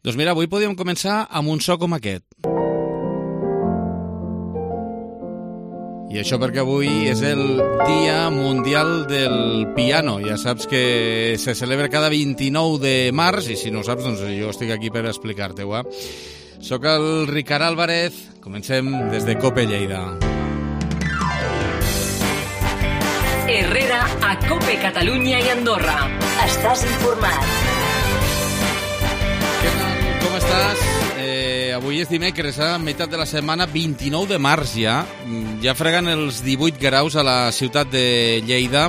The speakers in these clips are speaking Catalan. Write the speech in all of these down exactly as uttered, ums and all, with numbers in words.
Doncs mira, avui podíem començar amb un so com aquest. I això perquè avui és el Dia Mundial del Piano. Ja saps que se celebra cada vint-i-nou de març, i si no ho saps, doncs jo estic aquí per explicar-te-ho. Eh? Soc el Ricard Álvarez, comencem des de COPE Lleida. Herrera a COPE Catalunya i Andorra. Estàs informat. Què tal? Com estàs? Eh, avui és dimecres, a eh? meitat de la setmana, vint-i-nou de març ja. Ja freguen els divuit graus a la ciutat de Lleida.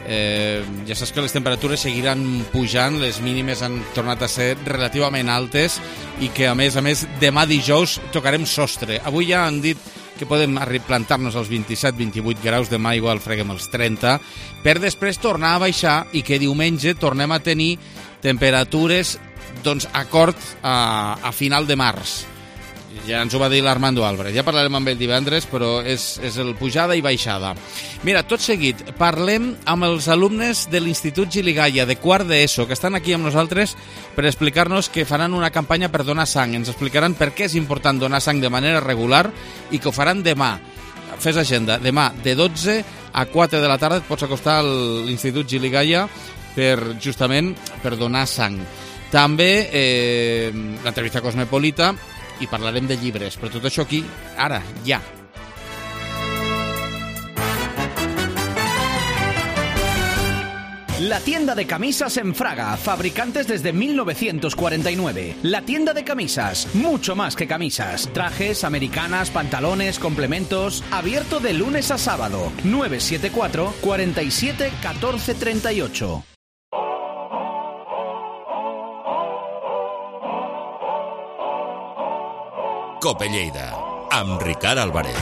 Eh, ja saps que les temperatures seguiran pujant, les mínimes han tornat a ser relativament altes i que, a més a més, demà dijous tocarem sostre. Avui ja han dit que podem plantar-nos als vint-i-set vintivuit graus, demà igual freguem els trenta, per després tornar a baixar i que diumenge tornem a tenir temperatures doncs acord a, a final de març. Ja ens ho va dir l'Armando Álvarez. Ja parlarem amb ell divendres, però és, és el pujada i baixada. Mira, tot seguit, parlem amb els alumnes de l'Institut Gili-Gaia de quart d'ESO, que estan aquí amb nosaltres per explicar-nos que faran una campanya per donar sang. Ens explicaran per què és important donar sang de manera regular i que ho faran demà. Fes agenda. Demà, de dotze a quatre de la tarda, et pots acostar a l'Institut Gili-Gaia per, justament per donar sang. També eh, l'entrevista cosmopolita, i parlarem de llibres, però tot això aquí, ara, ja. La tienda de camisas en Fraga, fabricantes desde mil novecientos cuarenta y nueve. La tienda de camisas, mucho más que camisas. Trajes, americanas, pantalones, complementos. Abierto de lunes a sábado. nueve siete cuatro, cuatro siete, uno cuatro tres ocho. COPE Lleida, amb Ricard Álvarez.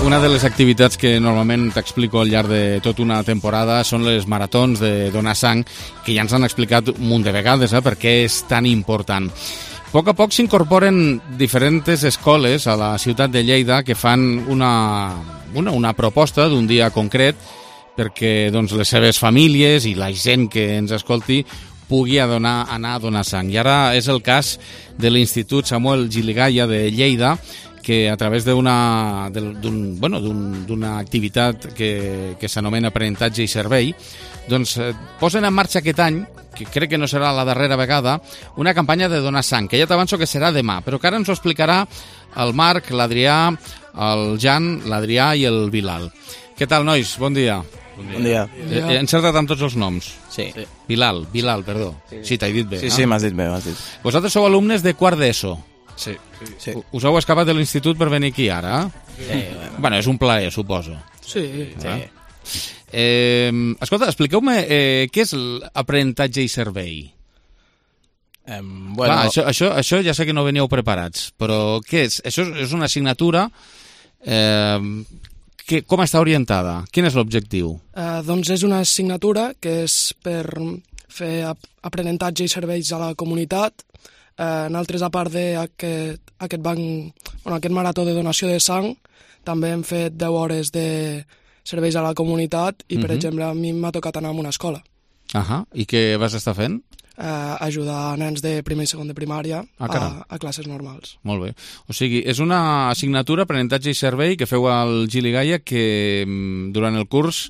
Una de les activitats que normalment t'explico al llarg de tota una temporada són les maratons de donar sang, que ja ens han explicat un munt de vegades eh, per què és tan important. A poc a poc s'incorporen diferents escoles a la ciutat de Lleida que fan una, una, una proposta d'un dia concret perquè doncs, les seves famílies i la gent que ens escolti pugui donar, anar a donar sang. I ara és el cas de l'Institut Samuel Gili-Gaia de Lleida, que a través d'una d'un, bueno, d'un, d'una activitat que, que s'anomena aprenentatge i servei, doncs eh, posen en marxa aquest any, que crec que no serà la darrera vegada, una campanya de donar sang, que ja t'avanço que serà demà, però que ara ens ho explicarà el Marc, l'Adrià, el Jan, l'Adrià i el Bilal. Què tal, nois? Bon dia. Bon dia. Bon dia. Eh, he encertat amb tots els noms? Sí. sí. Bilal, Bilal, perdó. Sí, sí t'he dit bé. Sí, no? sí, m'has dit bé, m'has dit. Vosaltres sou alumnes de quart d'ESO. Sí. sí. Us heu escapat de l'institut per venir aquí ara? Sí. Bueno, bueno és un plaer, suposo. Sí. Ah. sí. Eh, escolta, expliqueu-me eh, què és l'aprenentatge i servei? Um, bueno... Clar, això, això, això ja sé que no veníeu preparats, però què és? Això és una assignatura... Eh, que, com està orientada? Quin és l'objectiu? Uh, doncs és una assignatura que és per fer ap aprenentatge i serveis a la comunitat. Uh, nosaltres, a part d'aquest aquest banc, bueno, aquest marató de donació de sang, també hem fet deu hores de serveis a la comunitat i, per uh-huh. exemple, a mi m'ha tocat anar a una escola. Ahà. I què vas estar fent? Uh, ajudar nens de primer i segon de primària ah, a, a classes normals. Molt bé. O sigui, és una assignatura, aprenentatge i servei, que feu al Gili-Gaia, que durant el curs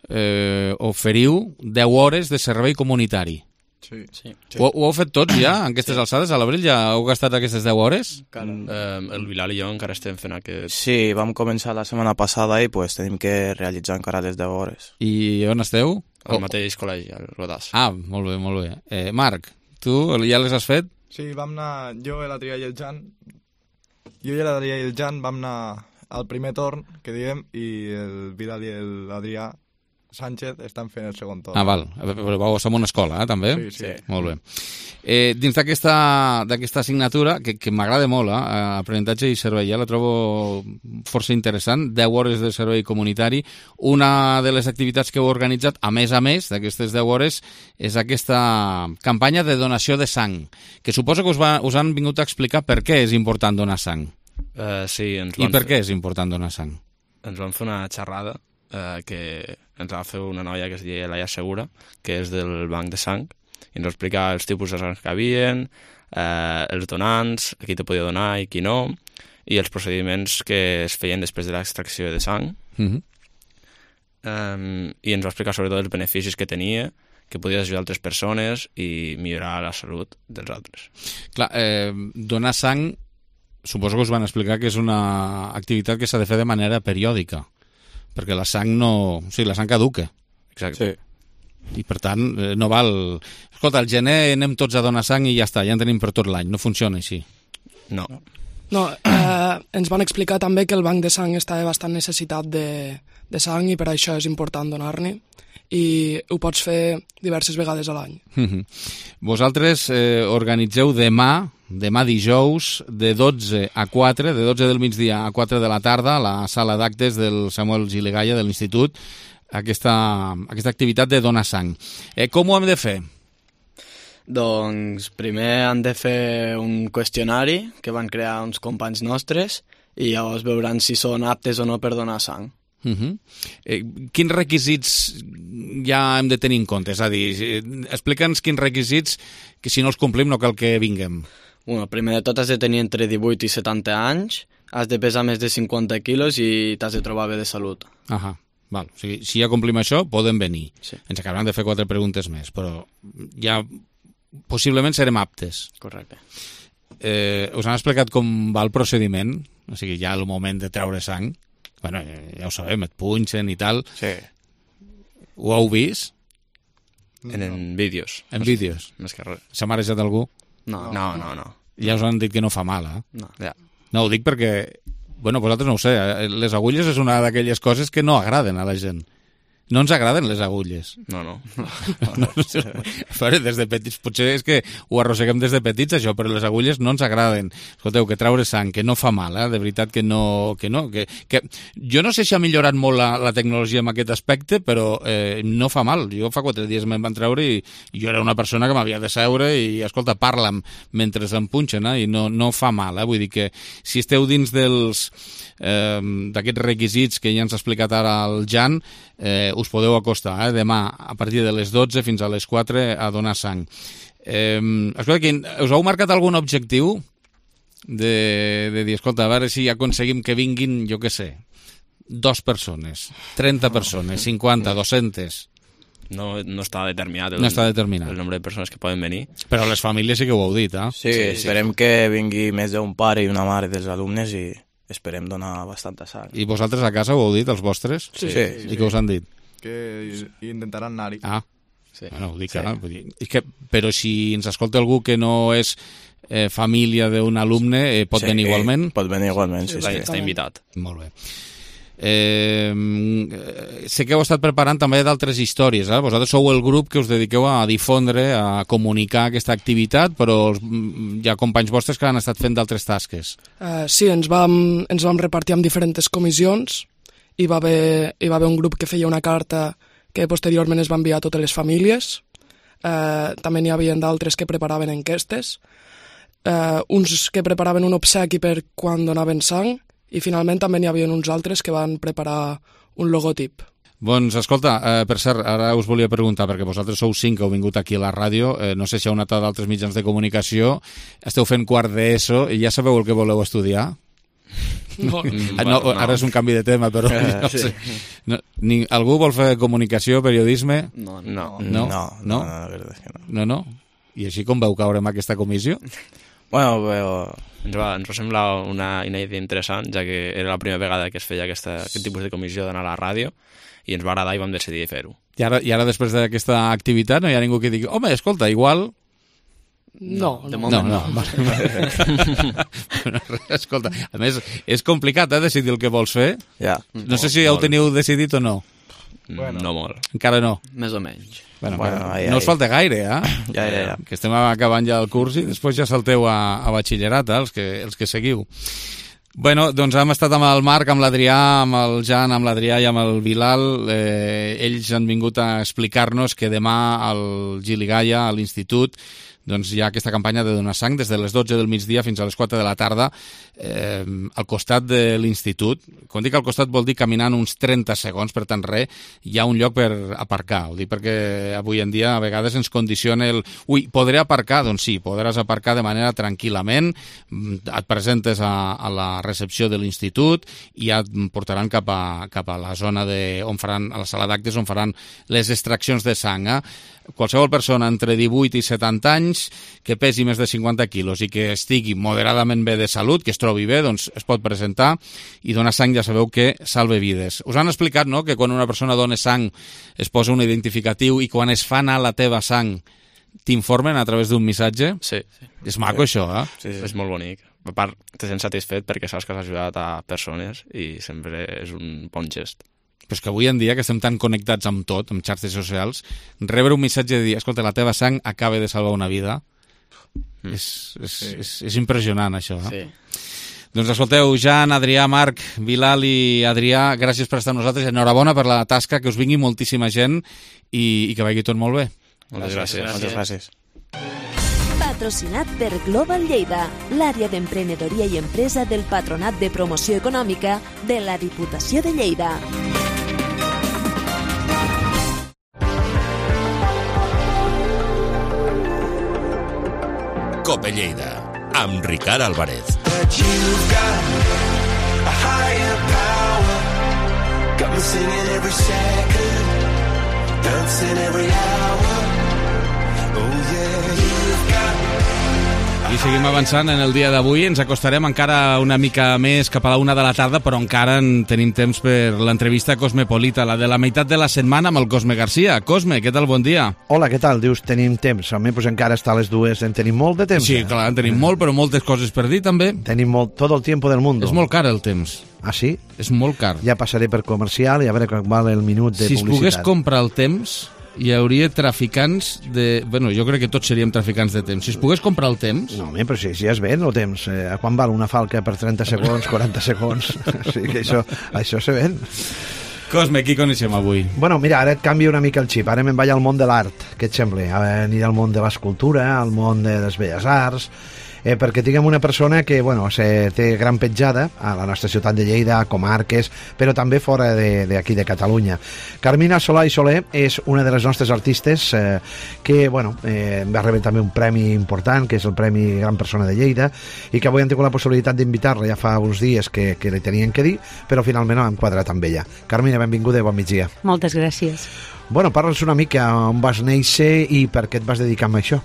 eh, oferiu deu hores de servei comunitari. Sí. sí. Ho, ho heu fet tots ja, en aquestes sí. alçades? A l'abril ja heu gastat aquestes deu hores? Mm. Eh, el Bilal i jo encara estem fent aquest... Sí, vam començar la setmana passada i pues, tenim que realitzar encara les deu hores. I on esteu? Al mateix col·legi, al Rodàs. Ah, molt bé, molt bé. Eh, Marc, tu ja les has fet? Sí, vam anar, jo, l'Adrià i el Jan, jo i l'Adrià i el Jan vam anar al primer torn, que diguem, i el Vidal i l'Adrià Sánchez estan fent el segon torn. Ah, val. Però vau estar en una escola, eh, també? Sí, sí. Molt bé. Eh, dins d'aquesta assignatura, que, que m'agrada molt, eh, aprenentatge i servei, ja la trobo força interessant, deu hores de servei comunitari. Una de les activitats que heu organitzat, a més a més d'aquestes deu hores, és aquesta campanya de donació de sang, que suposo que us, va, us han vingut a explicar per què és important donar sang. Uh, sí, ens I per fer... què és important donar sang? Ens vam fer una xerrada eh, que ens va fer una noia que es deia Laia Segura, que és del Banc de Sang, i ens va explicar els tipus de sang que havien, eh, els donants, a qui te podia donar i qui no, i els procediments que es feien després de l'extracció de sang. Mm-hmm. Um, I ens va explicar sobretot els beneficis que tenia, que podies ajudar altres persones i millorar la salut dels altres. Clar, eh, donar sang, suposo que us van explicar que és una activitat que s'ha de fer de manera periòdica, perquè la sang no... O sigui, la sang caduca. Exacte. Sí. I per tant, eh, no val... Escolta, al gener anem tots a donar sang i ja està, ja en tenim per tot l'any. No funciona així. No. No, eh, ens van explicar també que el banc de sang està bastant necessitat de, de sang i per això és important donar-ne i ho pots fer diverses vegades a l'any. Mm-hmm. Vosaltres eh, organitzeu demà, demà dijous, de dotze a quatre, de dotze del migdia a quatre de la tarda, a la sala d'actes del Samuel Giligalla de l'Institut, aquesta, aquesta activitat de donar sang. Eh, com ho hem de fer? Doncs primer han de fer un qüestionari que van crear uns companys nostres i llavors veuran si són aptes o no per donar sang. Uh-huh. Eh, quins requisits ja hem de tenir en compte? És a dir, explica'ns quins requisits que si no els complim no cal que vinguem. Bueno, primer de tot has de tenir entre divuit i setanta anys, has de pesar més de cinquanta quilos i t'has de trobar bé de salut. Ahà. Val. O sigui, si ja complim això, podem venir. Sí. Ens acabaran de fer quatre preguntes més, però ja possiblement serem aptes. Correcte. Eh, us han explicat com va el procediment? O sigui, ja el moment de treure sang? Bueno, ja ho sabem, et punxen i tal. Sí. Ho heu vist? En, en vídeos. En vídeos? Més que res. S'ha marejat algú? No, No, no, no. Ja us han dit que no fa mal, eh? no. Ja. No, ho dic perquè, bueno, vosaltres no ho sé, eh? Les agulles és una d'aquelles coses que no agraden a la gent. No ens agraden les agulles. No, no. No, no sé. Però des de petits, potser és que ho arrosseguem des de petits, això, però les agulles no ens agraden. Escolteu, que treure sang, que no fa mal, eh? De veritat que no... Que no que, que... Jo no sé si ha millorat molt la, la tecnologia en aquest aspecte, però eh, no fa mal. Jo fa quatre dies me'n van treure i, i jo era una persona que m'havia de seure i, escolta, parla'm mentre em punxen, eh? I no, no fa mal, eh? Vull dir que si esteu dins dels... Eh, d'aquests requisits que ja ens ha explicat ara el Jan, eh, us podeu acostar eh, demà a partir de les dotze fins a les quatre a donar sang. Eh, escolta, que us heu marcat algun objectiu de, de dir, escolta, a veure si aconseguim que vinguin, jo què sé, dos persones, trenta persones, cinquanta, dues-centes? No, no està determinat el, No està determinat. el nombre de persones que poden venir. Però les famílies sí que ho heu dit, eh? Sí, sí, esperem sí. que vingui més d'un pare i una mare dels alumnes i esperem donar bastanta sang. I vosaltres a casa ho heu dit, els vostres? Sí. sí, I sí. què us han dit? Que intentaran anar-hi. Ah, Sí. bueno, ho dic Sí. ara. Vull dir, és que, però si ens escolta algú que no és eh, família d'un alumne, eh, pot Sí, venir igualment? Pot venir igualment, sí, Està, sí. està invitat. Molt bé. Eh, sé que heu estat preparant també d'altres històries, eh? Vosaltres sou el grup que us dediqueu a difondre, a comunicar aquesta activitat, però hi ha companys vostres que han estat fent d'altres tasques. Eh, sí, ens vam, ens vam repartir en diferents comissions. Hi va, haver, hi va haver un grup que feia una carta que posteriorment es va enviar a totes les famílies. Eh, també n'hi havia d'altres que preparaven enquestes. Eh, uns que preparaven un obsequi per quan donaven sang i finalment també n'hi havia uns altres que van preparar un logotip. Doncs, escolta, eh, per cert, ara us volia preguntar, perquè vosaltres sou cinc que heu vingut aquí a la ràdio, eh, no sé si heu anat a d'altres mitjans de comunicació, esteu fent quart d'ESO i ja sabeu el que voleu estudiar? No. Ah, no, ara és un canvi de tema, però no sí. sé. No, ni, algú vol fer comunicació, periodisme? No, No. No? No, no, No? no, la veritat és que no. No, no? I així com veu caure en aquesta comissió? Bueno, però... Ens va, ens va semblar una, una idea interessant, ja que era la primera vegada que es feia aquesta, aquest tipus de comissió d'anar a la ràdio, i ens va agradar i vam decidir fer-ho. I ara, I ara després d'aquesta activitat no hi ha ningú que digui, home, escolta, igual... No, de no. moment No, no, vale. Escolta, a més, és complicat, eh, decidir el que vols fer. Ja. No sé si ja ho teniu decidit o no. Bueno. No molt. Encara no. Més o menys. Bueno, Bueno, bueno, ai, no us ai. falta gaire, eh? Ja, ja, ja. Que estem acabant ja el curs i després ja salteu a, a batxillerat, eh, els que, els que seguiu. Bueno, doncs hem estat amb el Marc, amb l'Adrià, amb el Jan, amb l'Adrià i amb el Bilal. Eh, ells han vingut a explicar-nos que demà al Giligalla, a l'Institut, doncs hi ha aquesta campanya de donar sang des de les dotze del migdia fins a les quatre de la tarda eh, al costat de l'institut. Quan dic al costat vol dir caminant uns trenta segons, per tant res, hi ha un lloc per aparcar. Ho dic perquè avui en dia a vegades ens condiciona el... Ui, podré aparcar? Doncs sí, podràs aparcar de manera tranquil·lament, et presentes a, a la recepció de l'institut i ja et portaran cap a, cap a la zona de, on faran, a la sala d'actes on faran les extraccions de sang. Eh? Qualsevol persona entre divuit i setanta anys que pesi més de cinquanta quilos i que estigui moderadament bé de salut, que es trobi bé, doncs es pot presentar i donar sang, ja sabeu que salve vides. Us han explicat, no?, que quan una persona dona sang es posa un identificatiu i quan es fa anar la teva sang t'informen a través d'un missatge? Sí. sí. És maco, sí. això, eh? Sí, sí. És molt bonic. A part, te sents satisfet perquè saps que has ajudat a persones i sempre és un bon gest. Però és que avui en dia, que estem tan connectats amb tot, amb xarxes socials, rebre un missatge de dir, escolta, la teva sang acaba de salvar una vida, mm. és, és, sí. és, és impressionant, això. Eh? Sí. Doncs escolteu, Jan, Adrià, Marc, Bilal i Adrià, gràcies per estar amb nosaltres, enhorabona per la tasca, que us vingui moltíssima gent i, i que vagi tot molt bé. Moltes gràcies. gràcies. Moltes gràcies. Patrocinat per Global Lleida, l'àrea d'emprenedoria i empresa del Patronat de Promoció Econòmica de la Diputació de Lleida. Cope Lleida, amb Ricard Álvarez. I seguim avançant en el dia d'avui. Ens acostarem encara una mica més cap a la una de la tarda, però encara en tenim temps per l'entrevista cosmopolita, la de la meitat de la setmana amb el Cosme Garcia. Cosme, què tal? Bon dia. Hola, què tal? Dius, tenim temps. Almenys pues, encara està a les dues, en tenim molt de temps. Sí, eh? clar, en tenim molt, però moltes coses per dir també. Tenim molt, tot el tiempo del mundo. És molt car el temps. Ah, sí? És molt car. Ja passaré per comercial i a veure quan val el minut de si publicitat. Si es pogués comprar el temps, hi hauria traficants de... Bueno, jo crec que tots seríem traficants de temps. Si es pogués comprar el temps... No, home, però si, si es ven el temps. Eh, a quan val una falca per trenta segons, quaranta segons? Sí, que això, això se ven. Cosme, qui coneixem avui? Bueno, mira, ara et canvio una mica el xip. Ara me'n vaig al món de l'art. Què et sembla? Ara aniré al món de l'escultura, al món de les belles arts... Eh, perquè tinguem una persona que bueno, se té gran petjada a la nostra ciutat de Lleida, a comarques, però també fora d'aquí de, de Catalunya. Carmina Solà i Soler és una de les nostres artistes eh, que bueno, eh, va rebre també un premi important, que és el Premi Gran Persona de Lleida, i que avui hem tingut la possibilitat d'invitar-la ja fa uns dies que, que li tenien que dir, però finalment hem quadrat amb ella. Carmina, benvinguda i bon migdia. Moltes gràcies. Bueno, parla'ns una mica on vas néixer i per què et vas dedicar a això.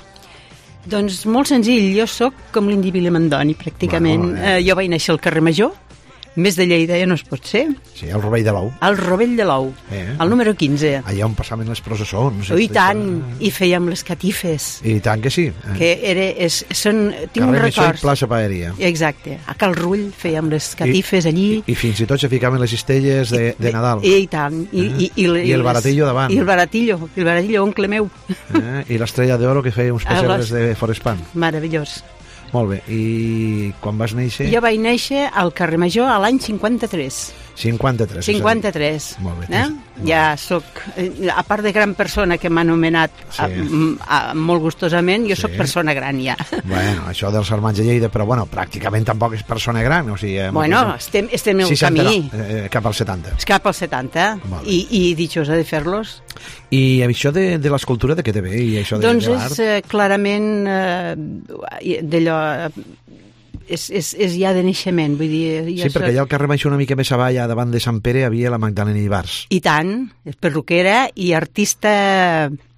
Doncs molt senzill, jo sóc com l'Indi Vilamandoni, pràcticament. Bueno, eh. Eh, jo vaig néixer al carrer Major, més de Lleida ja no es pot ser. Sí, el Rovell de l'Ou. El Rovell de l'Ou, eh. el número quinze. Allà on passaven les processons. Oh, I tant, i fèiem les catifes. I tant que sí. Eh. Que era, és, són, tinc un records. Carrer Major i plaça Paeria. Exacte, a Cal Rull fèiem les catifes I, allí. I, I fins i tot se ficaven les cistelles de, de Nadal. I, i tant. I, eh. i, i, I, I el baratillo davant. I el baratillo, el baratillo, oncle meu. Eh. I l'estrella d'oro que feia uns pessebres de Forespan. Meravellós. Molt bé, i quan vas néixer? Jo vaig néixer al carrer Major a l'any cinquanta-tres. cinquanta-tres. cinquanta-tres. Molt bé. Eh? Ja soc, a part de gran persona que m'ha anomenat sí. a, a, a, molt gustosament, jo sí. soc persona gran ja. Bueno, això dels germans de Lleida, però bueno, pràcticament tampoc és persona gran, o sigui... Bueno, estem, estem en el seixanta, camí. No, eh, cap als setanta. Cap als setanta, i, i dichosa de fer-los. I això de, de l'escultura de què te ve? I això de, doncs de l'art? és eh, clarament eh, d'allò... És, és, és ja de naixement, vull dir... Ja sí, perquè allà al carrer Major una mica més avall, davant de Sant Pere, hi havia la Magdalena Ibars. I tant, és perruquera i artista...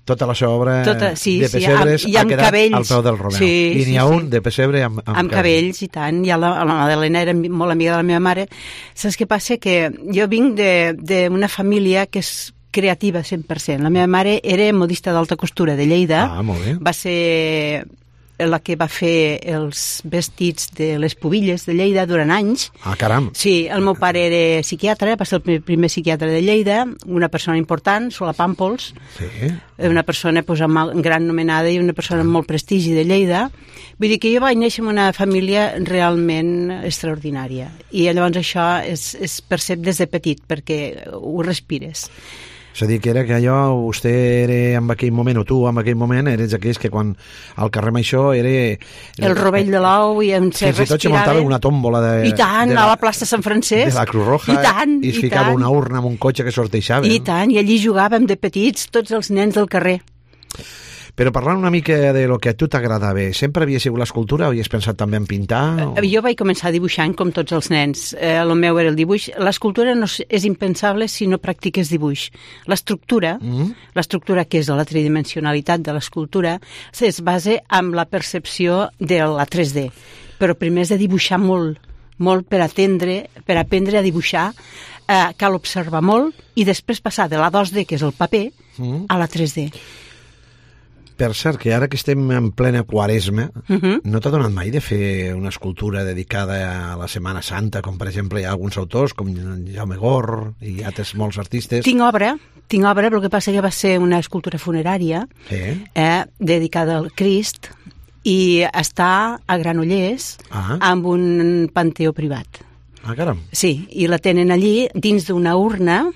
Tota la seva obra tota, sí, de pessebres sí, amb, ha quedat cabells. Al peu del Romeu. Sí, I n'hi ha sí, un de pessebre amb, amb, amb cabells. I tant, i la, la Magdalena era molt amiga de la meva mare. Saps què passa? Que jo vinc d'una família que és creativa cent per cent. La meva mare era modista d'alta costura de Lleida. Ah, molt bé. Va ser la que va fer els vestits de les pubilles de Lleida durant anys. Ah, caram. Sí, el meu pare era psiquiatre, va ser el primer psiquiatre de Lleida, una persona important, Solà Pàmpols, sí. una persona pues, amb gran nomenada i una persona amb molt prestigi de Lleida. Vull dir que jo vaig néixer en una família realment extraordinària. I llavors això es, es percep des de petit, perquè ho respires. És a dir, que era que allò, vostè era en aquell moment, o tu en aquell moment, eres aquells que quan al carrer Maixó era... El rovell de l'ou i en se respirava... Fins i tot se muntava una tòmbola de... I tant, de la, a la plaça Sant Francesc. De la Cruz Roja. I tant, i es i ficava tant. una urna amb un cotxe que sorteixava. I tant, i allí jugàvem de petits tots els nens del carrer. Però parlant una mica de lo que a tu t'agradava, sempre havia sigut l'escultura o havies pensat també en pintar? O... Jo vaig començar dibuixant com tots els nens. Eh, el meu era el dibuix. L'escultura no és impensable si no practiques dibuix. L'estructura, mm. l'estructura que és la tridimensionalitat de l'escultura, es basa en la percepció de la tres D. Però primer has de dibuixar molt, molt per atendre, per aprendre a dibuixar. Eh, cal observar molt i després passar de la dos D, que és el paper, mm. a la tres D. Per cert, que ara que estem en plena quaresma, uh-huh. no t'ha donat mai de fer una escultura dedicada a la Setmana Santa, com per exemple hi ha alguns autors, com Jaume Gor i altres molts artistes? Tinc obra, tinc obra, però el que passa que va ser una escultura funerària eh? Eh, dedicada al Crist i està a Granollers ah. amb un panteó privat. Ah, caram. Sí, i la tenen allí dins d'una urna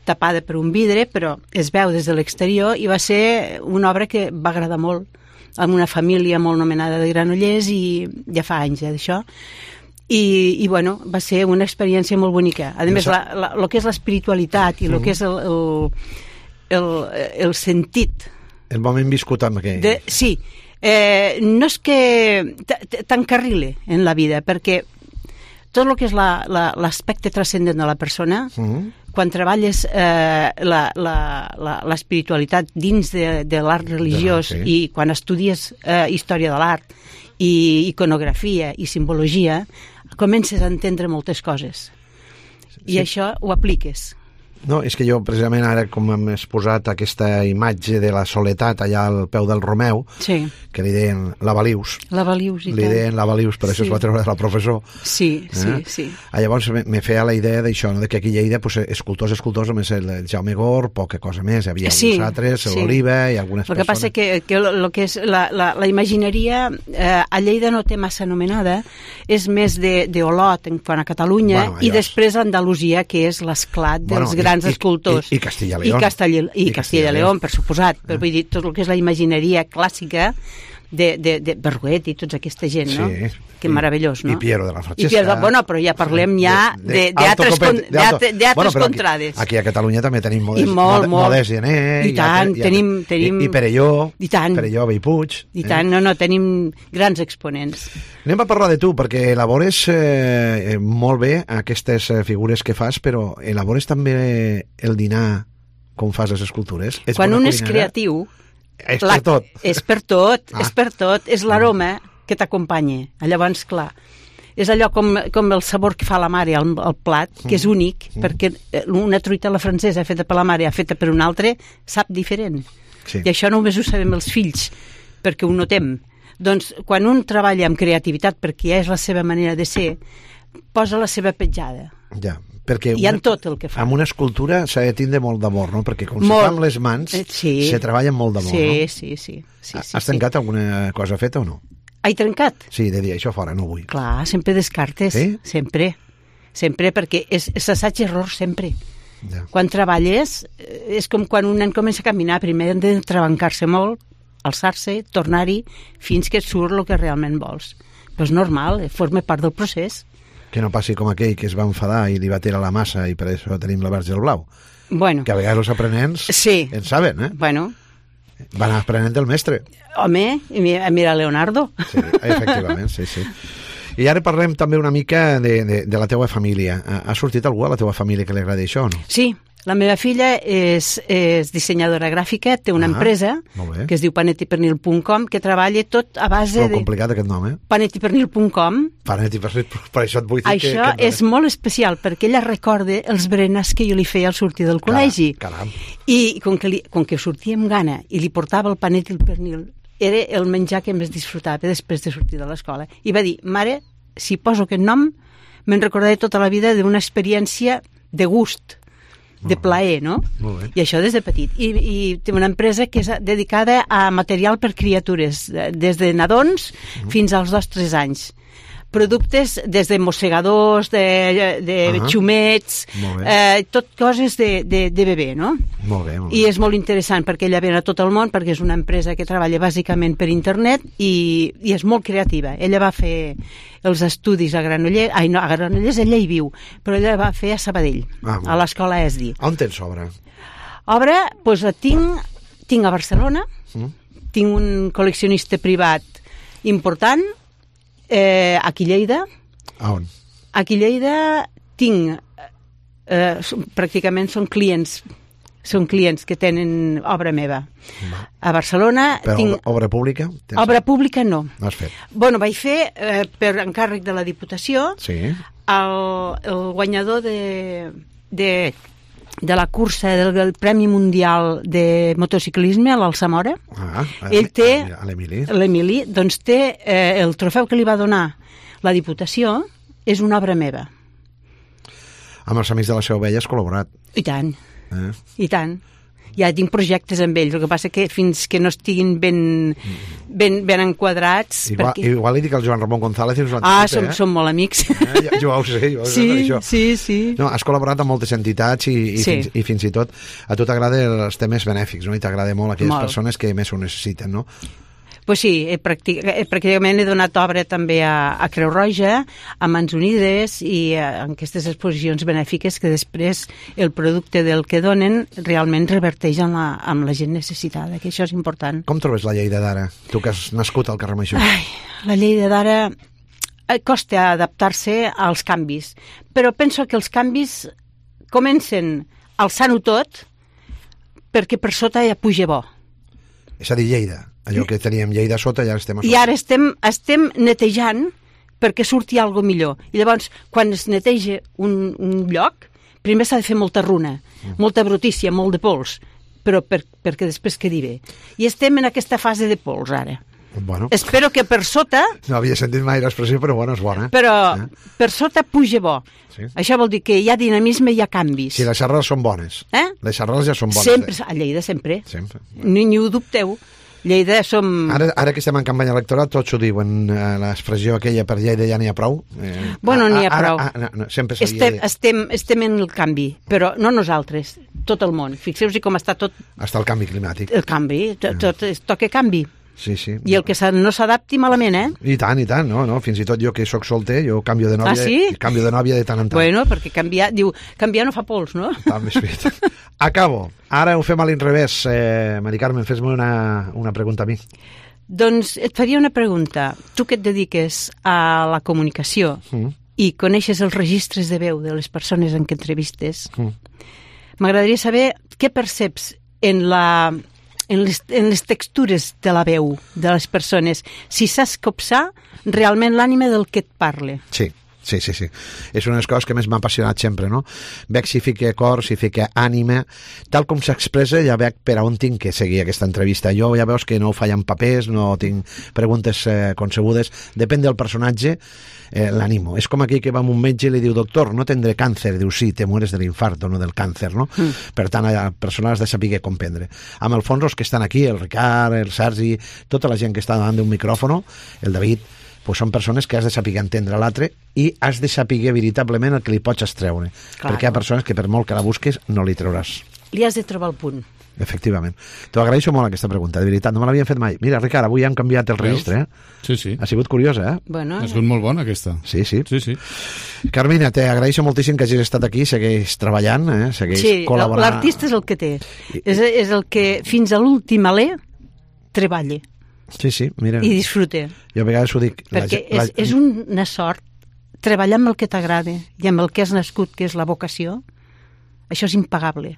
tapada per un vidre, però es veu des de l'exterior i va ser una obra que va agradar molt amb una família molt nomenada de Granollers i ja fa anys, eh, d'això. I, i bueno, va ser una experiència molt bonica. A més, la, la, el que és l'espiritualitat i el que és el, el, el, el sentit... El moment viscut amb aquell... De, sí, eh, no és que t'encarrile en la vida, perquè tot el que és l'aspecte la, transcendent de la persona, mm-hmm. quan treballes eh, l'espiritualitat dins de, de l'art religiós de sí. i quan estudies eh, història de l'art i iconografia i simbologia, comences a entendre moltes coses. I sí. això ho apliques. No, és que jo precisament ara com hem exposat aquesta imatge de la soledat allà al peu del Romeu, sí. que li deien la Balius. La Balius, i li deien la Balius, per sí. això es va treure de la professor. Sí, eh? sí, sí. Ah, llavors me, me feia la idea d'això, no? De que aquí a Lleida, pues, escultors, escultors, només el Jaume Gor, poca cosa més, hi havia sí, alguns altres, sí. l'Oliva i algunes el que persones. Passa que, que lo que és la, la, la imagineria eh, a Lleida no té massa anomenada, és més d'Olot en quant a Catalunya, bueno, i després Andalusia, que és l'esclat dels bueno, grans i, escultors. I, i Castilla León. I Castilla, i I Castilla León, per suposat. Però vull dir, tot el que és la imagineria clàssica de, de, de Berruet i tota aquesta gent, no? Sí. Que meravellós, no? I Piero de la Francesca. I Piero, bueno, però ja parlem ja d'altres bueno, contrades. Aquí, aquí a Catalunya també tenim Modest, molt, molt. Modest Gené. I tant, i, tenim, tenim... I, i Perelló. I tant. Perelló, Bellpuig. I tant, eh? no, no, tenim grans exponents. Anem a parlar de tu, perquè elabores eh, molt bé aquestes figures que fas, però elabores també el dinar com fas les escultures. Ets Quan un és creatiu... És per tot. És per tot, ah. és per tot. És l'aroma que t'acompanya. Llavors, clar, és allò com, com el sabor que fa la mare al, al plat, que és únic, mm. perquè una truita a la francesa feta per la mare feta per un altre sap diferent. Sí. I això només ho sabem els fills, perquè ho notem. Doncs quan un treballa amb creativitat, perquè ja és la seva manera de ser, posa la seva petjada. Ja, perquè i en tot el que fa. Amb una escultura s'ha de tindre molt d'amor, no? Perquè com molt. se fa amb les mans, eh, sí. se treballa amb molt d'amor, sí, no? Sí, sí, sí. Has sí, trencat sí. alguna cosa feta o no? He trencat? Sí, de dir això fora, no vull. Clar, sempre descartes, sí? sempre. Sempre, perquè és, és assaig-error, sempre. Ja. Quan treballes, és com quan un nen comença a caminar, primer han de trebancar-se molt, alçar-se, tornar-hi, fins que et surt el que realment vols. Però és normal, forma part del procés. Que no passi com aquell que es va enfadar i li va tirar la massa i per això tenim la verge al blau. Bueno. Que a vegades els aprenents sí. en saben, eh? Bueno. Van aprenent del mestre. Home, mira Leonardo. Sí, efectivament, sí, sí. I ara parlem també una mica de, de, de la teua família. Ha sortit algú a la teua família que li agradi això o no? Sí, la meva filla és, és dissenyadora gràfica, té una ah, empresa que es diu panetti pernil punt com, que treballa tot a base Prou de... complicat aquest nom, eh? panetti pernil punt com. Panetti pernil, per això et vull dir això que... Això que és no... molt especial, perquè ella recorda els berenars que jo li feia al sortir del col·legi. Caram. I com que, li, com que sortia amb gana i li portava el panetti i el pernil, era el menjar que més disfrutava després de sortir de l'escola. I va dir, mare, si poso aquest nom, me'n recordaré tota la vida d'una experiència de gust, de plaer, no? I això des de petit. I, i té una empresa que és dedicada a material per criatures, des de nadons mm. fins als dos o tres anys. productes des de mossegadors, de, de Ah. xumets, Molt bé. eh, tot coses de, de, de bebè, no? Molt bé, molt bé. I és molt interessant perquè ella ven a tot el món, perquè és una empresa que treballa bàsicament per internet i, i és molt creativa. Ella va fer els estudis a Granollers, ai no, a Granollers ella hi viu, però ella va fer a Sabadell, Ah, molt a l'escola E S D I. On tens obra? Obra, doncs la tinc, tinc a Barcelona, Mm. tinc un col·leccionista privat important, eh, aquí a Lleida. A on? Aquí a Lleida tinc, eh, són- pràcticament són clients, són clients que tenen obra meva. A Barcelona Però tinc... obra, obra pública? Tens... Obra pública no. No has fet? Bueno, vaig fer, eh, per encàrrec de la Diputació, Sí. el, el guanyador de, de, de la cursa del, del Premi Mundial de Motociclisme a l'Alsamora. Ah, Ell té, a l'Emili. l'Emili, doncs té eh, el trofeu que li va donar la Diputació, és una obra meva. Amb els Amics de la Seu Vella has col·laborat. I tant, Eh? i tant. Ja tinc projectes amb ells, el que passa que fins que no estiguin ben, ben, ben enquadrats... Igual, perquè... igual li dic al Joan Ramon González i us Ah, l'anticipa, som, eh? som molt amics. Eh? Jo, jo ho sé, jo ho sé Sí, per això. sí, sí. No, has col·laborat amb moltes entitats i, i, Sí. fins, i fins i tot a tu t'agraden els temes benèfics, no? I t'agrada molt aquelles Molt. persones que més ho necessiten, no? Pues sí, he practic he, pràcticament he donat obra també a, a Creu Roja, a Mans Unides i a, a aquestes exposicions benèfiques que després el producte del que donen realment reverteix en la, amb la gent necessitada, que això és important. Com trobes la Lleida d'ara? Tu que has nascut al carrer Major. Ai, la Lleida d'ara eh, costa adaptar-se als canvis, però penso que els canvis comencen alçant-ho tot perquè per sota ja puja bo. És a dir, Lleida. Allò que teníem Lleida a sota, ja estem a sota. I ara estem, estem netejant perquè surti algo millor. I llavors, quan es neteja un, un lloc, primer s'ha de fer molta runa, mm. molta brutícia, molt de pols, però per, perquè després quedi bé. I estem en aquesta fase de pols, ara. Bueno, Espero que per sota, no havia sentit mai l'expressió, però bueno, és bona. però Eh? per sota puja bo. Sí. Això vol dir que hi ha dinamisme, hi ha canvis. Si les arrels són bones. Eh? Les arrels ja són bones. Sempre, eh? a Lleida sempre. Sempre. Ni, ni ho dubteu. Lleida som... Ara, ara que estem en campanya electoral, tots ho diuen, eh, l'expressió aquella per Lleida ja n'hi ha prou. Eh, Bueno, n'hi ha ara- prou. ara- no, sempre s'havia Estem, de- estem, estem en el canvi, però no nosaltres, tot el món. Fixeu-vos com està tot Hasta el canvi climàtic. el canvi, tot, tot es toca canvi. Sí, sí. I el que se- no s'adapti malament, eh? I tant, i tant, no, no? Fins i tot jo que sóc solter, jo canvio de nòvia, Ah, sí? canvio de nòvia de tant en tant. Bueno, perquè canviar, diu, canviar no fa pols, no? Ah, més fet. Acabo. Ara ho fem a l'inrevés. Eh, Mari Carmen, fes-me una, una pregunta a mi. Doncs et faria una pregunta. Tu que et dediques a la comunicació Mm. i coneixes els registres de veu de les persones en què entrevistes, Mm. m'agradaria saber què perceps en la... En les, en les textures de la veu de les persones, si saps copsar realment l'ànima del que et parle. Sí, sí, sí, sí. És una de les coses que més m'ha apassionat sempre, no? Veig si fica cor, si fica ànima, tal com s'expressa ja veig per a on tinc que seguir aquesta entrevista. Jo ja veus que no ho faig en papers, no tinc preguntes eh, concebudes, depèn del personatge, eh, l'animo. És com aquí que va amb un metge i li diu, doctor, no tindré càncer, diu, sí, te mueres de l'infarto, no del càncer, no? Mm. Per tant, la persona has de saber comprendre. Amb el fons, els que estan aquí, el Ricard, el Sergi, tota la gent que està davant d'un micròfono, el David, pues són persones que has de saber entendre l'altre i has de saber veritablement el que li pots extreure. Clar. Perquè hi ha persones que per molt que la busques no li trauràs. Li has de trobar el punt. Efectivament. T'ho agraeixo molt aquesta pregunta, de veritat, no me l'havien fet mai. Mira, Ricard, avui han canviat el registre, eh? Sí, sí. Ha sigut curiosa, eh? Bueno, Ha sigut molt bona, aquesta. Sí, sí. Sí, sí. Carmina, te agraeixo moltíssim que hagis estat aquí, segueix treballant, eh? segueix sí, col·laborant. l'artista és el que té. És, és el que fins a l'últim alè treballa Sí, sí, mira. i disfruta. Jo a vegades ho dic. Perquè la, és, és una sort treballar amb el que t'agrada i amb el que has nascut, que és la vocació. Això és impagable.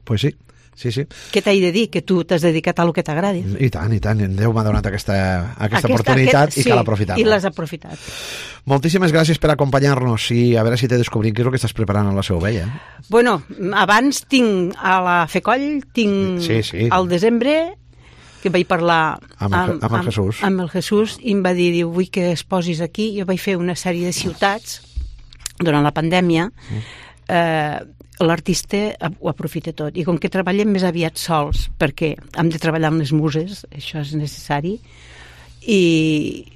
Pues sí, sí, sí. Què t'he de dir? Que tu t'has dedicat a lo que t'agrada. I tant, i tant. Déu m'ha donat aquesta, aquesta, aquesta oportunitat aquest, i cal aprofitar-la. I l'has aprofitat. Moltíssimes gràcies per acompanyar-nos i a veure si te descobrim què és el que estàs preparant a la Seu Vella. Bueno, abans tinc a la Fecoll, tinc Sí, sí. al desembre, que vaig parlar Amb el- amb el Jesús. amb el Jesús i em va dir, diu, vull que es posis aquí. Jo vaig fer una sèrie de ciutats durant la pandèmia. Eh, l'artista ho aprofita tot. I com que treballem més aviat sols, perquè hem de treballar amb les muses, això és necessari, i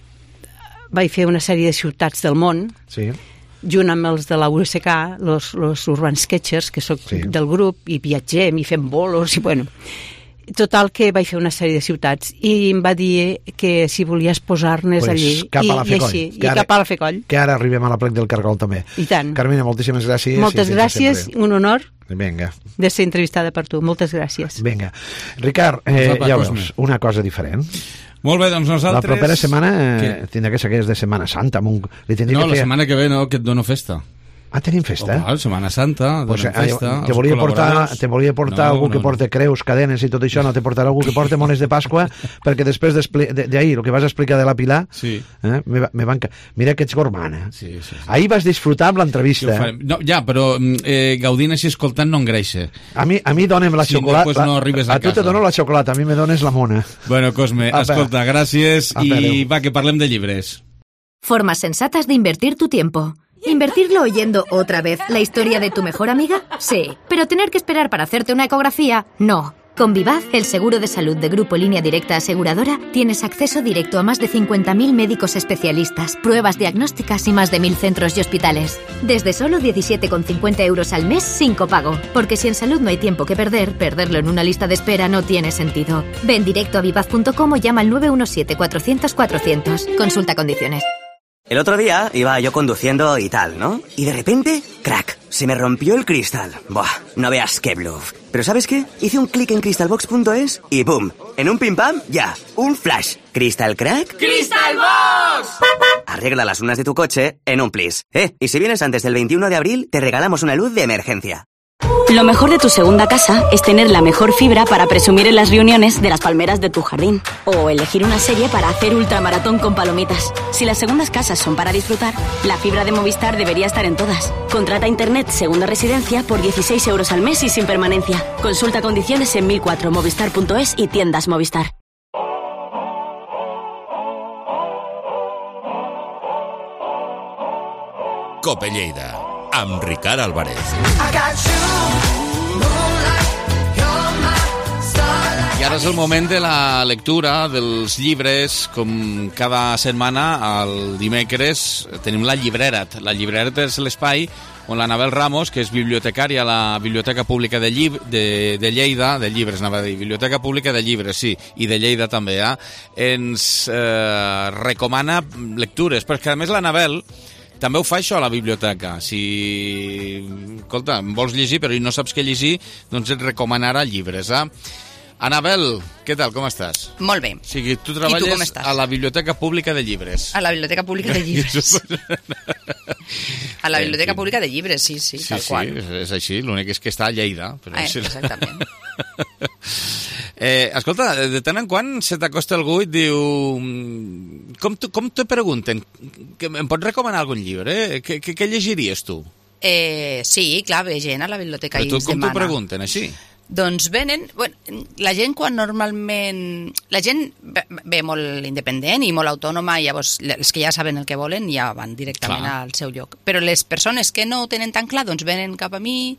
vaig fer una sèrie de ciutats del món, sí. junt amb els de la U S K, los, los Urban Sketchers, que soc sí. del grup, i viatgem, i fem bolos, i bueno... Total, que vaig fer una sèrie de ciutats i em va dir que si volies posar-nos pues allí cap i, a la i així, i ara, cap a la Fecoll. Que ara arribem a la plec del Cargol també. I tant. Carmina, moltíssimes gràcies. Moltes gràcies, un honor Vinga. de ser entrevistada per tu. Moltes gràcies. Vinga. Ricard, eh, ja veus, una cosa diferent. Molt bé, doncs nosaltres... La propera setmana eh, tindrà que ser que és de Setmana Santa. Un... Li no, que la fer... setmana que ve no, que et dono festa. Ah, tenim festa? Oh, Setmana Santa, donem pues, festa. Te volia portar, te volia portar no, algú no, que porta creus, cadenes i tot això, no te portarà algú que porta mones de Pasqua, perquè després d'ahir, el que vas explicar de la Pilar, sí. eh, me, me van... mira que ets gormana. Sí, sí, sí. Ahir vas disfrutar amb l'entrevista. Sí, no, ja, però eh, gaudint així escoltant no engreixa. A mi, a mi dona'm la si xocolata. No, no arribes a, a tu te dono la xocolata, a mi me dones la mona. Bueno, Cosme, a escolta, per. gràcies a i per. Va, que parlem de llibres. Formas sensatas de invertir tu tiempo. ¿Invertirlo oyendo otra vez la historia de tu mejor amiga? Sí. ¿Pero tener que esperar para hacerte una ecografía? No. Con Vivaz, el seguro de salud de Grupo Línea Directa Aseguradora, tienes acceso directo a más de cincuenta mil médicos especialistas, pruebas diagnósticas y más de mil centros y hospitales. Desde solo diecisiete con cincuenta euros al mes sin copago. Porque si en salud no hay tiempo que perder, perderlo en una lista de espera no tiene sentido. Ven directo a vivaz punto com o llama al nueve uno siete, cuatrocientos, cuatrocientos. Consulta condiciones. El otro día iba yo conduciendo y tal, ¿no? Y de repente, crack, se me rompió el cristal. Buah, no veas qué bluff. Pero ¿sabes qué? Hice un clic en crystalbox punto es y ¡boom! En un pim pam, ya, un flash. ¿Crystal crack? ¡Crystalbox! Arregla las lunas de tu coche en un plis. Eh, y si vienes antes del veintiuno de abril, te regalamos una luz de emergencia. Lo mejor de tu segunda casa es tener la mejor fibra para presumir en las reuniones de las palmeras de tu jardín. O elegir una serie para hacer ultramaratón con palomitas. Si las segundas casas son para disfrutar, la fibra de Movistar debería estar en todas. Contrata Internet Segunda Residencia por dieciséis euros al mes y sin permanencia. Consulta condiciones en mil cuatro movistar punto es y tiendas Movistar. Cope Lleida, amb Ricard Álvarez. I ara és el moment de la lectura dels llibres. Com cada setmana, el dimecres, tenim la llibreret. La llibreret és l'espai on l'Anabel Ramos, que és bibliotecària a la Biblioteca Pública de, Llib de, de Lleida, de llibres, anava a dir, Biblioteca Pública de Llibres, sí, i de Lleida també, eh? ens eh, recomana lectures, perquè a més l'Anabel també ho fa això a la biblioteca. Si, escolta, vols llegir però no saps què llegir, doncs et recomanarà llibres, eh? Anabel, què tal, com estàs? Molt bé. O sigui, tu treballes I tu com estàs? A la Biblioteca Pública de Llibres. A la Biblioteca Pública de Llibres. A la Biblioteca Pública de Llibres, sí, sí, sí tal qual. Sí, és, és així, l'únic és que està a Lleida. Però eh, sí. Exactament. eh, escolta, de tant en quant se t'acosta algú i et diu... Com, com te pregunten? Que em pots recomanar algun llibre? Què, què, què llegiries tu? Eh, sí, clar, ve gent a la biblioteca Però i tu, ens com demana. t'ho pregunten, així? Doncs venen... Bueno, la gent quan normalment... La gent ve, ve molt independent i molt autònoma, i llavors els que ja saben el que volen ja van directament clar. Al seu lloc. Però les persones que no ho tenen tan clar, doncs venen cap a mi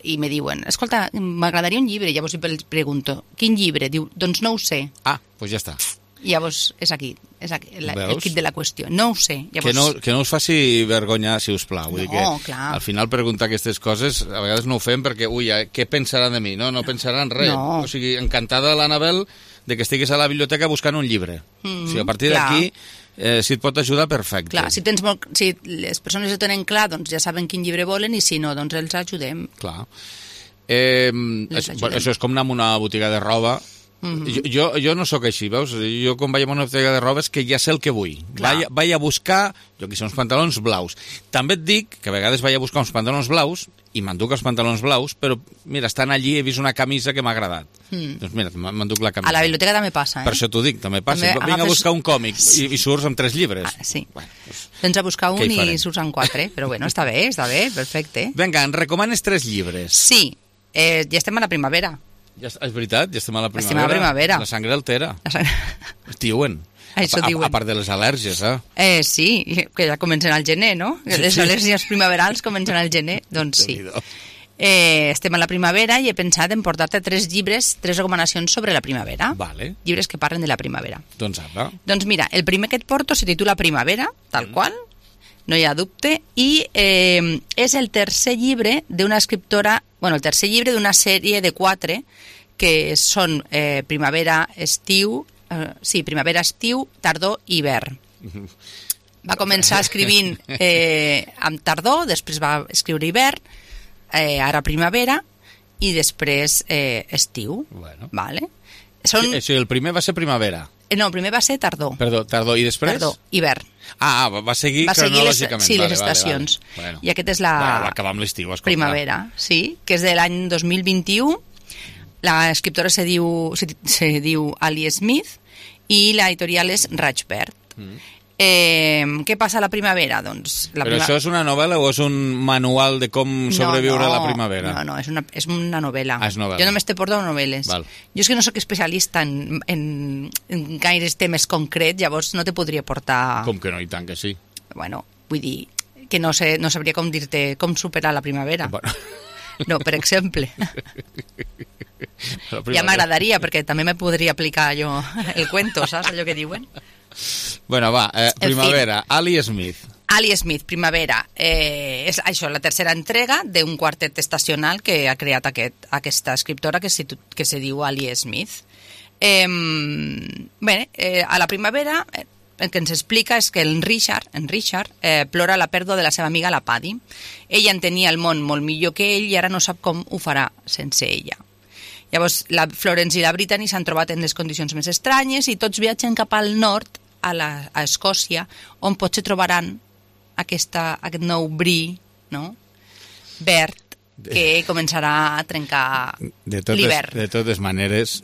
i me diuen, escolta, m'agradaria un llibre. Llavors els pregunto, quin llibre? Diu, doncs no ho sé. Ah, doncs ja està. I llavors és aquí, és aquí la, el kit de la qüestió. No ho sé. Llavors... Que, no, que no us faci vergonya, si us plau. Vull no, dir que clar. Al final preguntar aquestes coses a vegades no ho fem perquè, ui, què pensaran de mi? No, no pensaran res. No. O sigui, encantada l'Anabel de que estiguis a la biblioteca buscant un llibre. Mm, o sigui, a partir d'aquí, eh, si et pot ajudar, perfecte. Clar, si, tens molt, si les persones ho tenen clar, doncs ja saben quin llibre volen, i si no, doncs els ajudem. Clar. Eh, això, això és com anar a una botiga de roba. Mm-hmm. Jo, jo, jo no sóc així, veus? Jo quan vaig a una botiga de roba és que ja sé el que vull. Vaig, vaig a buscar, jo que sé, uns pantalons blaus. També et dic que a vegades vaig a buscar uns pantalons blaus i m'enduc els pantalons blaus, però mira, estan allí, he vist una camisa que m'ha agradat. Mm. Doncs mira, m'enduc la camisa. A la biblioteca també passa, eh? Per això t'ho dic, també passa. També Vinc agafes... a buscar un còmic i, i surts amb tres llibres. Ah, sí. Bueno, doncs, Vens a buscar un i surts amb quatre, però bueno, està bé, està bé, perfecte. Vinga, en recomanes tres llibres. Sí, eh, ja estem a la primavera. Ja, és veritat, ja estem a la primavera. Estem a la primavera. La sangre altera. La sang... Diuen. Això a, diuen. A, a part de les al·lèrgies, eh? Eh, sí, que ja comencen al gener, no? Les sí. al·lèrgies primaverals comencen al gener, doncs sí. Eh, estem a la primavera i he pensat en portar-te tres llibres, tres recomanacions sobre la primavera. Vale. Llibres que parlen de la primavera. Doncs apa. Doncs mira, el primer que et porto se titula Primavera, tal mm. qual, no hi ha dubte, i eh, és el tercer llibre d'una escriptora, bueno, el tercer llibre d'una sèrie de quatre que són eh, primavera, estiu, eh, sí, primavera, estiu, tardor i hivern. Va començar escrivint eh, amb tardor, després va escriure hivern, eh, ara primavera i després eh, estiu. Bueno. Vale? Són... Sí, sí, el primer va ser primavera. No, el primer va ser tardor. Perdó, tardor. I després? Tardor, hivern. Ah, va, va seguir va seguir cronològicament. Les, sí, vale, les estacions. Vale, vale. Bueno. I aquest és la... Va, va acabar amb l'estiu, escolta. Primavera, sí, que és de l'any dos mil vint-i-u. L'escriptora se diu, se, se diu Ali Smith i l'editorial és Rajbert. Mm. Eh, què passa a la primavera? Doncs, la Però prima... això és una novel·la o és un manual de com sobreviure no, no, a la primavera? No, no, és una, és una novel·la. Ah, és novel·la. Jo només te porto novel·les. Val. Jo és que no sóc especialista en, en, en gaires temes concrets, llavors no te podria portar... Com que no, i tant que sí. Bueno, vull dir que no, sé, no sabria com dir-te com superar la primavera. Bueno. No, per exemple. primavera. Ja m'agradaria, perquè també me podria aplicar jo el cuento, saps allò que diuen? Bueno, va, eh, primavera, Ali Smith. Ali Smith, Primavera. Eh, és això, la tercera entrega d'un quartet estacional que ha creat aquest, aquesta escriptora que se, que se diu Ali Smith. Eh, bé, eh, a la primavera eh, el que ens explica és que en Richard, en Richard eh, plora la pèrdua de la seva amiga la Paddy. Ella entenia el món molt millor que ell i ara no sap com ho farà sense ella. Llavors, la Florence i la Brittany s'han trobat en les condicions més estranyes i tots viatgen cap al nord, a, la, a Escòcia, on potser trobaran aquesta, aquest nou bri, no? verd, que començarà a trencar l'hivern. De totes maneres,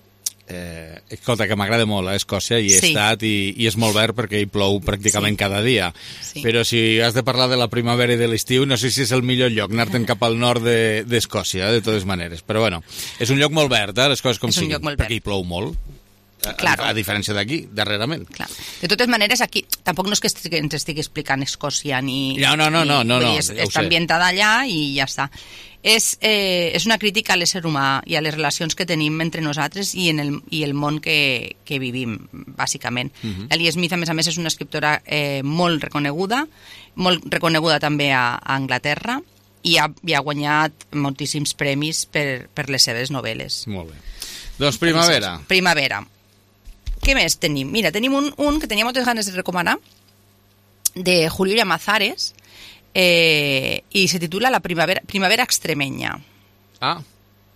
eh, escolta, que m'agrada molt a Escòcia, i he Sí. estat, i, i és molt verd perquè hi plou pràcticament Sí. cada dia. Sí. Però si has de parlar de la primavera i de l'estiu, no sé si és el millor lloc, anar-te'n cap al nord de- d'Escòcia, de, de totes maneres. Però bueno, és un lloc molt verd, eh, les coses com És un siguin, lloc molt verd. perquè hi plou molt. A, Claro. a, a diferència d'aquí, darrerament. Clar. De totes maneres, aquí tampoc no és que estigui, ens estigui explicant Escòcia ni... No, no, no, ni, no, no, vull dir, no, és, ja ho està sé. ambientada allà i ja està. És, eh, és una crítica a l'ésser humà i a les relacions que tenim entre nosaltres i, en el, i el món que, que vivim, bàsicament. Mhm. Ellie Smith, a més a més, és una escriptora eh, molt reconeguda, molt reconeguda també a, a Anglaterra, i ha, i ha guanyat moltíssims premis per, per les seves novel·les. Molt bé. Doncs primavera. Primavera. Què més tenim? Mira, tenim un, un que tenia moltes ganes de recomanar, de Julio Llamazares, eh, i se titula La primavera, primavera extremenya. Ah,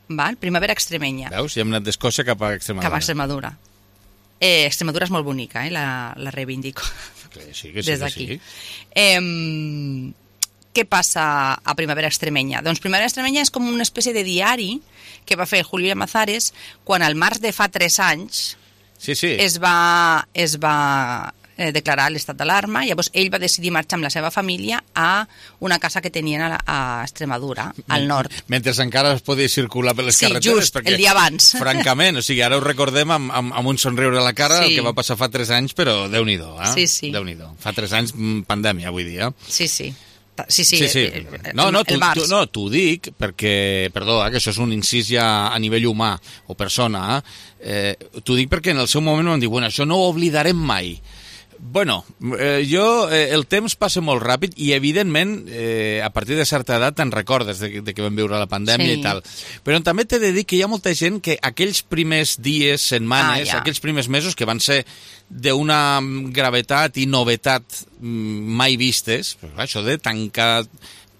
Val? Primavera extremenya. veus? Ja hem anat d'Escòcia cap a Extremadura. Cap a Extremadura. Eh, Extremadura és molt bonica, eh? la, la reivindico. Que sí, que sí, Des que d'aquí. sí. Eh, què passa a Primavera Extremenya? Doncs Primavera Extremenya és com una espècie de diari que va fer Julio Llamazares quan al març de fa tres anys Sí, sí. es va, es va eh, declarar l'estat d'alarma. Llavors ell va decidir marxar amb la seva família a una casa que tenien a, la, a Extremadura, al nord. Mentre encara es podia circular per les Sí, carreteres. just, el dia abans. Francament, o sigui, ara ho recordem amb, amb, amb un somriure a la cara, Sí. el que va passar fa tres anys, però Déu-n'hi-do, eh? Sí, sí. Déu-n'hi-do. Fa tres anys, mm, pandèmia, vull dir, eh? Sí, sí. Sí, sí, sí, sí. eh, eh, No, no, el tu, març. tu, no, t'ho dic perquè, perdó, eh, que això és un incís ja a nivell humà o persona, eh, t'ho dic perquè en el seu moment vam dir, bueno, això no ho oblidarem mai. Bueno, eh, jo, eh, el temps passa molt ràpid i, evidentment, eh, a partir de certa edat te'n recordes de, de que vam viure la pandèmia Sí. i tal. Però també t'he de dir que hi ha molta gent que aquells primers dies, setmanes, Ah, ja. aquells primers mesos que van ser d'una gravetat i novetat mm, mai vistes, però, clar, això de tancar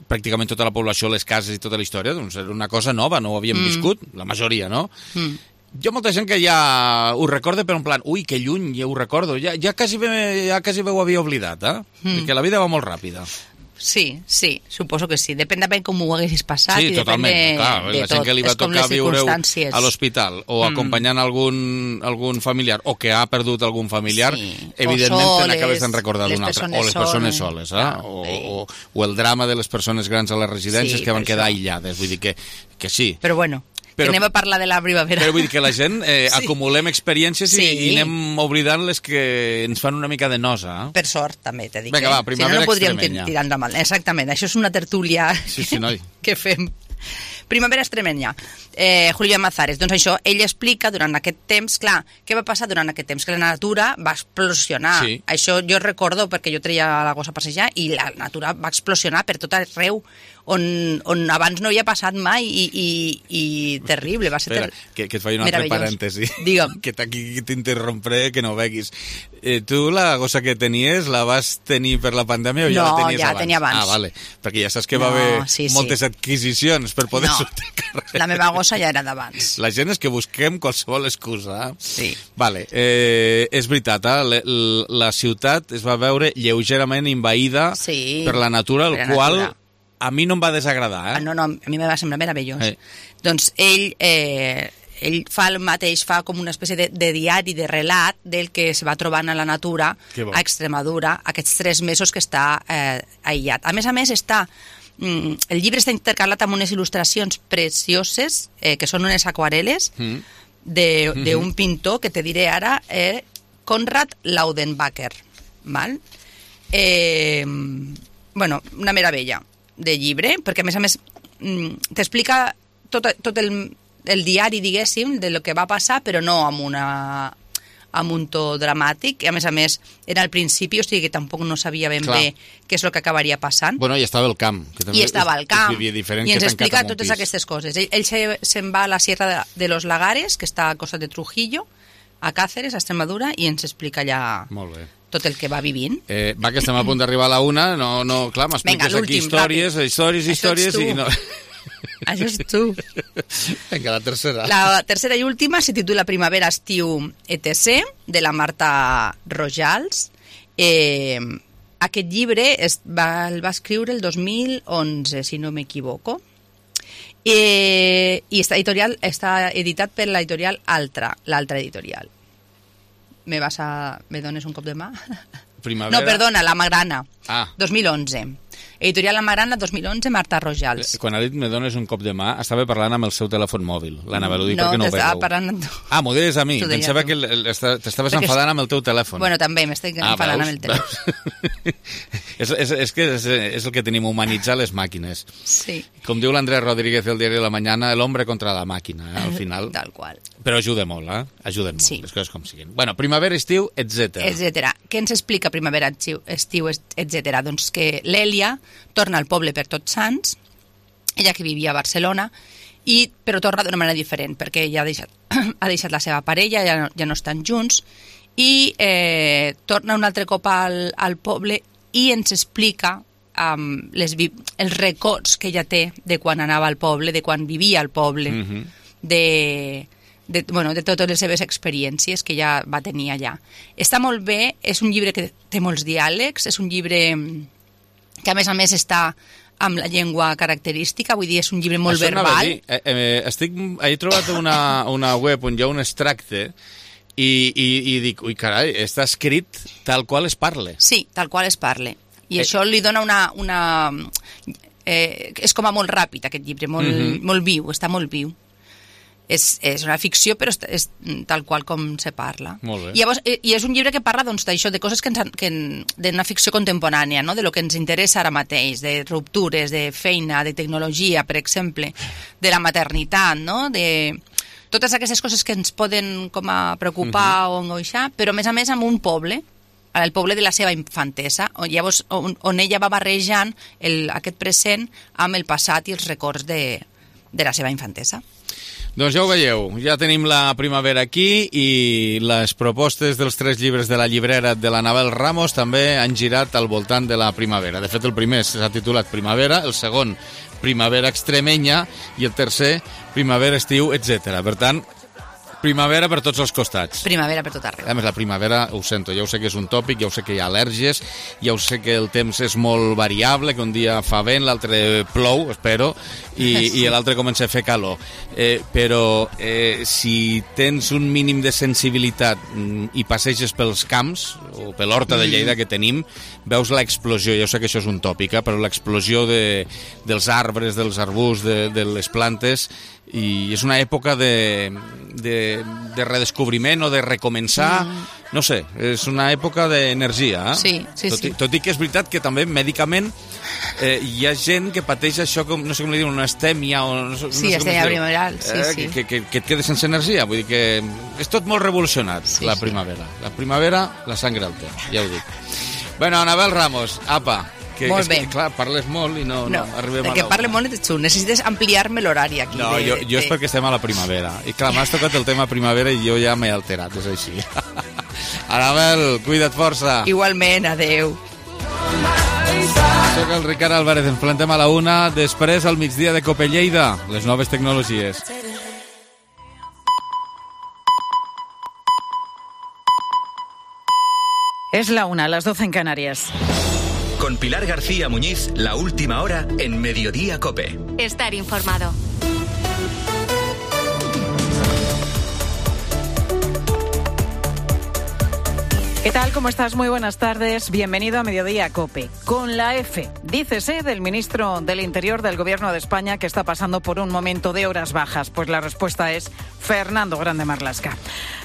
pràcticament tota la població, les cases i tota la història, doncs era una cosa nova, no ho havíem Mm. viscut, la majoria, no? Mm. Hi ha molta gent que ja ho recorda, però en plan, ui, que lluny, ja ho recordo, ja, ja, quasi, bé, ja quasi bé ho havia oblidat, eh? Mm. Perquè la vida va molt ràpida. Sí, sí, suposo que sí. Depèn de com ho haguessis passat Sí, i depèn totalment, de, clar, de la tot. gent que li va És com tocar les viure circumstàncies. a l'hospital o Mm. acompanyant algun, algun familiar o que ha perdut algun familiar, Sí. evidentment O te soles, n'acabes d'en recordar les d'un altre. persones O les persones soles. soles, eh? Clar, o, sí. o, o el drama de les persones grans a les residències Sí, que van per quedar això. aïllades. Vull dir que, que sí. Però bueno, Però- que anem a parlar de la primavera. Però vull dir que la gent eh, Sí. acumulem experiències Sí. i, i anem oblidant les que ens fan una mica de nosa. Eh? Per sort, també, t'he dit. Vinga, eh? va, Si no, primavera no podríem extremenya. tirar endavant. Exactament, això és una tertúlia Sí, sí, noi. que fem. Primavera extremenya. Eh, Julio Mazares. Doncs això, ell explica durant aquest temps, clar, què va passar durant aquest temps? Que la natura va explosionar. Sí. Això jo recordo perquè jo treia la gossa a passejar i la natura va explosionar per tot arreu. On, on abans no havia passat mai i, i, i terrible, va ser Espera, ter... que, que et faig un altre parèntesi. Digue'm. Que aquí t'interrompré, que no ho veguis. Eh, tu la gossa que tenies la vas tenir per la pandèmia o ja no, la tenies ja abans? la tenia abans. Ah, vale. Perquè ja saps que no, va haver sí, moltes sí. adquisicions per poder no, sortir al carrer. La meva gossa ja era d'abans. La gent és que busquem qualsevol excusa. Sí. Vale, eh, és veritat, eh? la ciutat es va veure lleugerament invaïda sí, per la natura, el la qual... natura. A mi no em va desagradar, eh? Ah, no, no, a mi em va semblar meravellós. Eh. Doncs ell, eh, ell fa el mateix, fa com una espècie de, de diari, de relat del que es va trobant a la natura a Extremadura aquests tres mesos que està eh, aïllat. A més a més, està, mm, el llibre està intercalat amb unes il·lustracions precioses, eh, que són unes aquarel·les mm. d'un mm-hmm. pintor que te diré ara, eh, Konrad Laudenbacher. Val? Eh, bueno, una meravella de llibre, perquè a més a més t'explica tot, tot el, el diari, diguéssim, de lo que va passar, però no amb una amb un to dramàtic, i a més a més era al principi, o sigui que tampoc no sabia ben Clar. bé què és el que acabaria passant. Bueno, i estava al camp. Que també I estava al camp, i ens explica totes aquestes coses. Ell, ell se'n se va a la Sierra de, de los Lagares, que està a costa de Trujillo, a Cáceres, a Extremadura, i ens explica allà... Molt bé. Tot el que va vivint. Eh, va, que estem a punt d'arribar a la una, no, no, clar, m'expliques aquí històries, ràpid. històries, històries, i no... Això és tu. Vinga, la tercera. La tercera i última se titula Primavera, estiu, etcètera, de la Marta Rojals. Eh, aquest llibre es va, el va escriure el dos mil onze, si no m'equivoco. Eh, I està, editorial, està editat per l'editorial Altra, l'altra editorial. Me vas a... me dones un cop de mà? Primavera... No, perdona, La Magrana, ah. dos mil onze. Editorial La Magrana, dos mil onze, Marta Rojals. Quan ha dit me dones un cop de mà, estava parlant amb el seu telèfon mòbil. L'anava a dir no, perquè no ho veieu. No, t'estava parlant amb tu. Ah, m'ho deies a mi. Pensava que t'estaves perquè enfadant amb el teu telèfon. Bueno, també m'estic ah, enfadant veus? amb el telèfon. és, és, és que és, és el que tenim, humanitzar les màquines. Sí. Com diu l'Andrés Rodríguez del Diari de la Mañana, el hombre contra la màquina, eh, al final. Tal qual. Però ajuda molt, eh? Ajuden molt, sí. les coses com siguin. Bueno, primavera, estiu, etcètera. Etcètera. Què ens explica primavera, estiu, etcètera? Doncs que l'Èlia torna al poble per Tots Sants, ella que vivia a Barcelona, i, però torna d'una manera diferent, perquè ja ha deixat, ha deixat la seva parella, ja no, ja no estan junts, i eh, torna un altre cop al, al poble i ens explica um, les, els records que ella té de quan anava al poble, de quan vivia al poble, mm-hmm. de... De, bueno, de totes les seves experiències que ja va tenir allà. Està molt bé, és un llibre que té molts diàlegs, és un llibre que a més a més està amb la llengua característica, vull dir, és un llibre molt Això verbal. Eh, eh, estic, he trobat una, una web on hi ha un extracte i, i, i dic, ui carai, està escrit tal qual es parle. Sí, tal qual es parle. I eh. això li dona una... una eh, és com a molt ràpid aquest llibre, molt, mm-hmm. molt viu, està molt viu. És, és una ficció, però és, és tal qual com se parla. Molt bé. I, llavors, i és un llibre que parla doncs, d'això, de coses que ens, que d'una ficció contemporània, no? De lo que ens interessa ara mateix, de ruptures, de feina, de tecnologia, per exemple, de la maternitat, no? De totes aquestes coses que ens poden com a preocupar uh-huh. o angoixar, però a més a més amb un poble, el poble de la seva infantesa, on, llavors, on, on ella va barrejant el, aquest present amb el passat i els records de, de la seva infantesa. Doncs ja ho veieu, ja tenim la primavera aquí i les propostes dels tres llibres de la llibrera de l'Anabel Ramos també han girat al voltant de la primavera. De fet, el primer s'ha titulat Primavera, el segon Primavera Extremenya i el tercer Primavera, Estiu, etcètera. Per tant, primavera per tots els costats. Primavera per tot arreu. A més, la primavera, ho sento, ja ho sé que és un tòpic, ja ho sé que hi ha al·lèrgies, ja ho sé que el temps és molt variable, que un dia fa vent, l'altre plou, espero, i, sí. i l'altre comença a fer calor. Eh, però eh, si tens un mínim de sensibilitat i passeges pels camps, o per l'horta de Lleida que tenim, veus l'explosió, ja ho sé que això és un tòpic, eh, però l'explosió de, dels arbres, dels arbusts, de, de les plantes, i és una època de, de, de redescobriment o de recomençar, mm. no sé, és una època d'energia. Eh? Sí, sí, tot, sí. Tot i que és veritat que també mèdicament eh, hi ha gent que pateix això, com, no sé com li diuen, una estèmia o no, sí, no sé estèmia primaveral, sí, eh, sí. Que, que, que et quedes sense energia, vull dir que és tot molt revolucionat, sí, la primavera. Sí. La primavera, la sangre al té, ja ho dic. Bueno, Anabel Ramos, apa, que, molt és bé. que, clar, parles molt i no, no, no arribem a el que parle molt ets tu, necessites ampliar-me l'horari aquí. No, de, jo, jo és de... perquè estem a la primavera. I clar, m'has tocat el tema primavera i jo ja m'he alterat, és així. Anabel, cuida't força. Igualment, adeu. Soc el Ricard Álvarez, ens plantem a la una, després al migdia de Cope Lleida, les noves tecnologies. Es la una, a las doce en Canarias. Con Pilar García Muñiz, la última hora en Mediodía Cope. Estar informado. ¿Qué tal? ¿Cómo estás? Muy buenas tardes. Bienvenido a Mediodía Cope. Con la F, dícese del ministro del Interior del Gobierno de España que está pasando por un momento de horas bajas. Pues la respuesta es Fernando Grande Marlaska.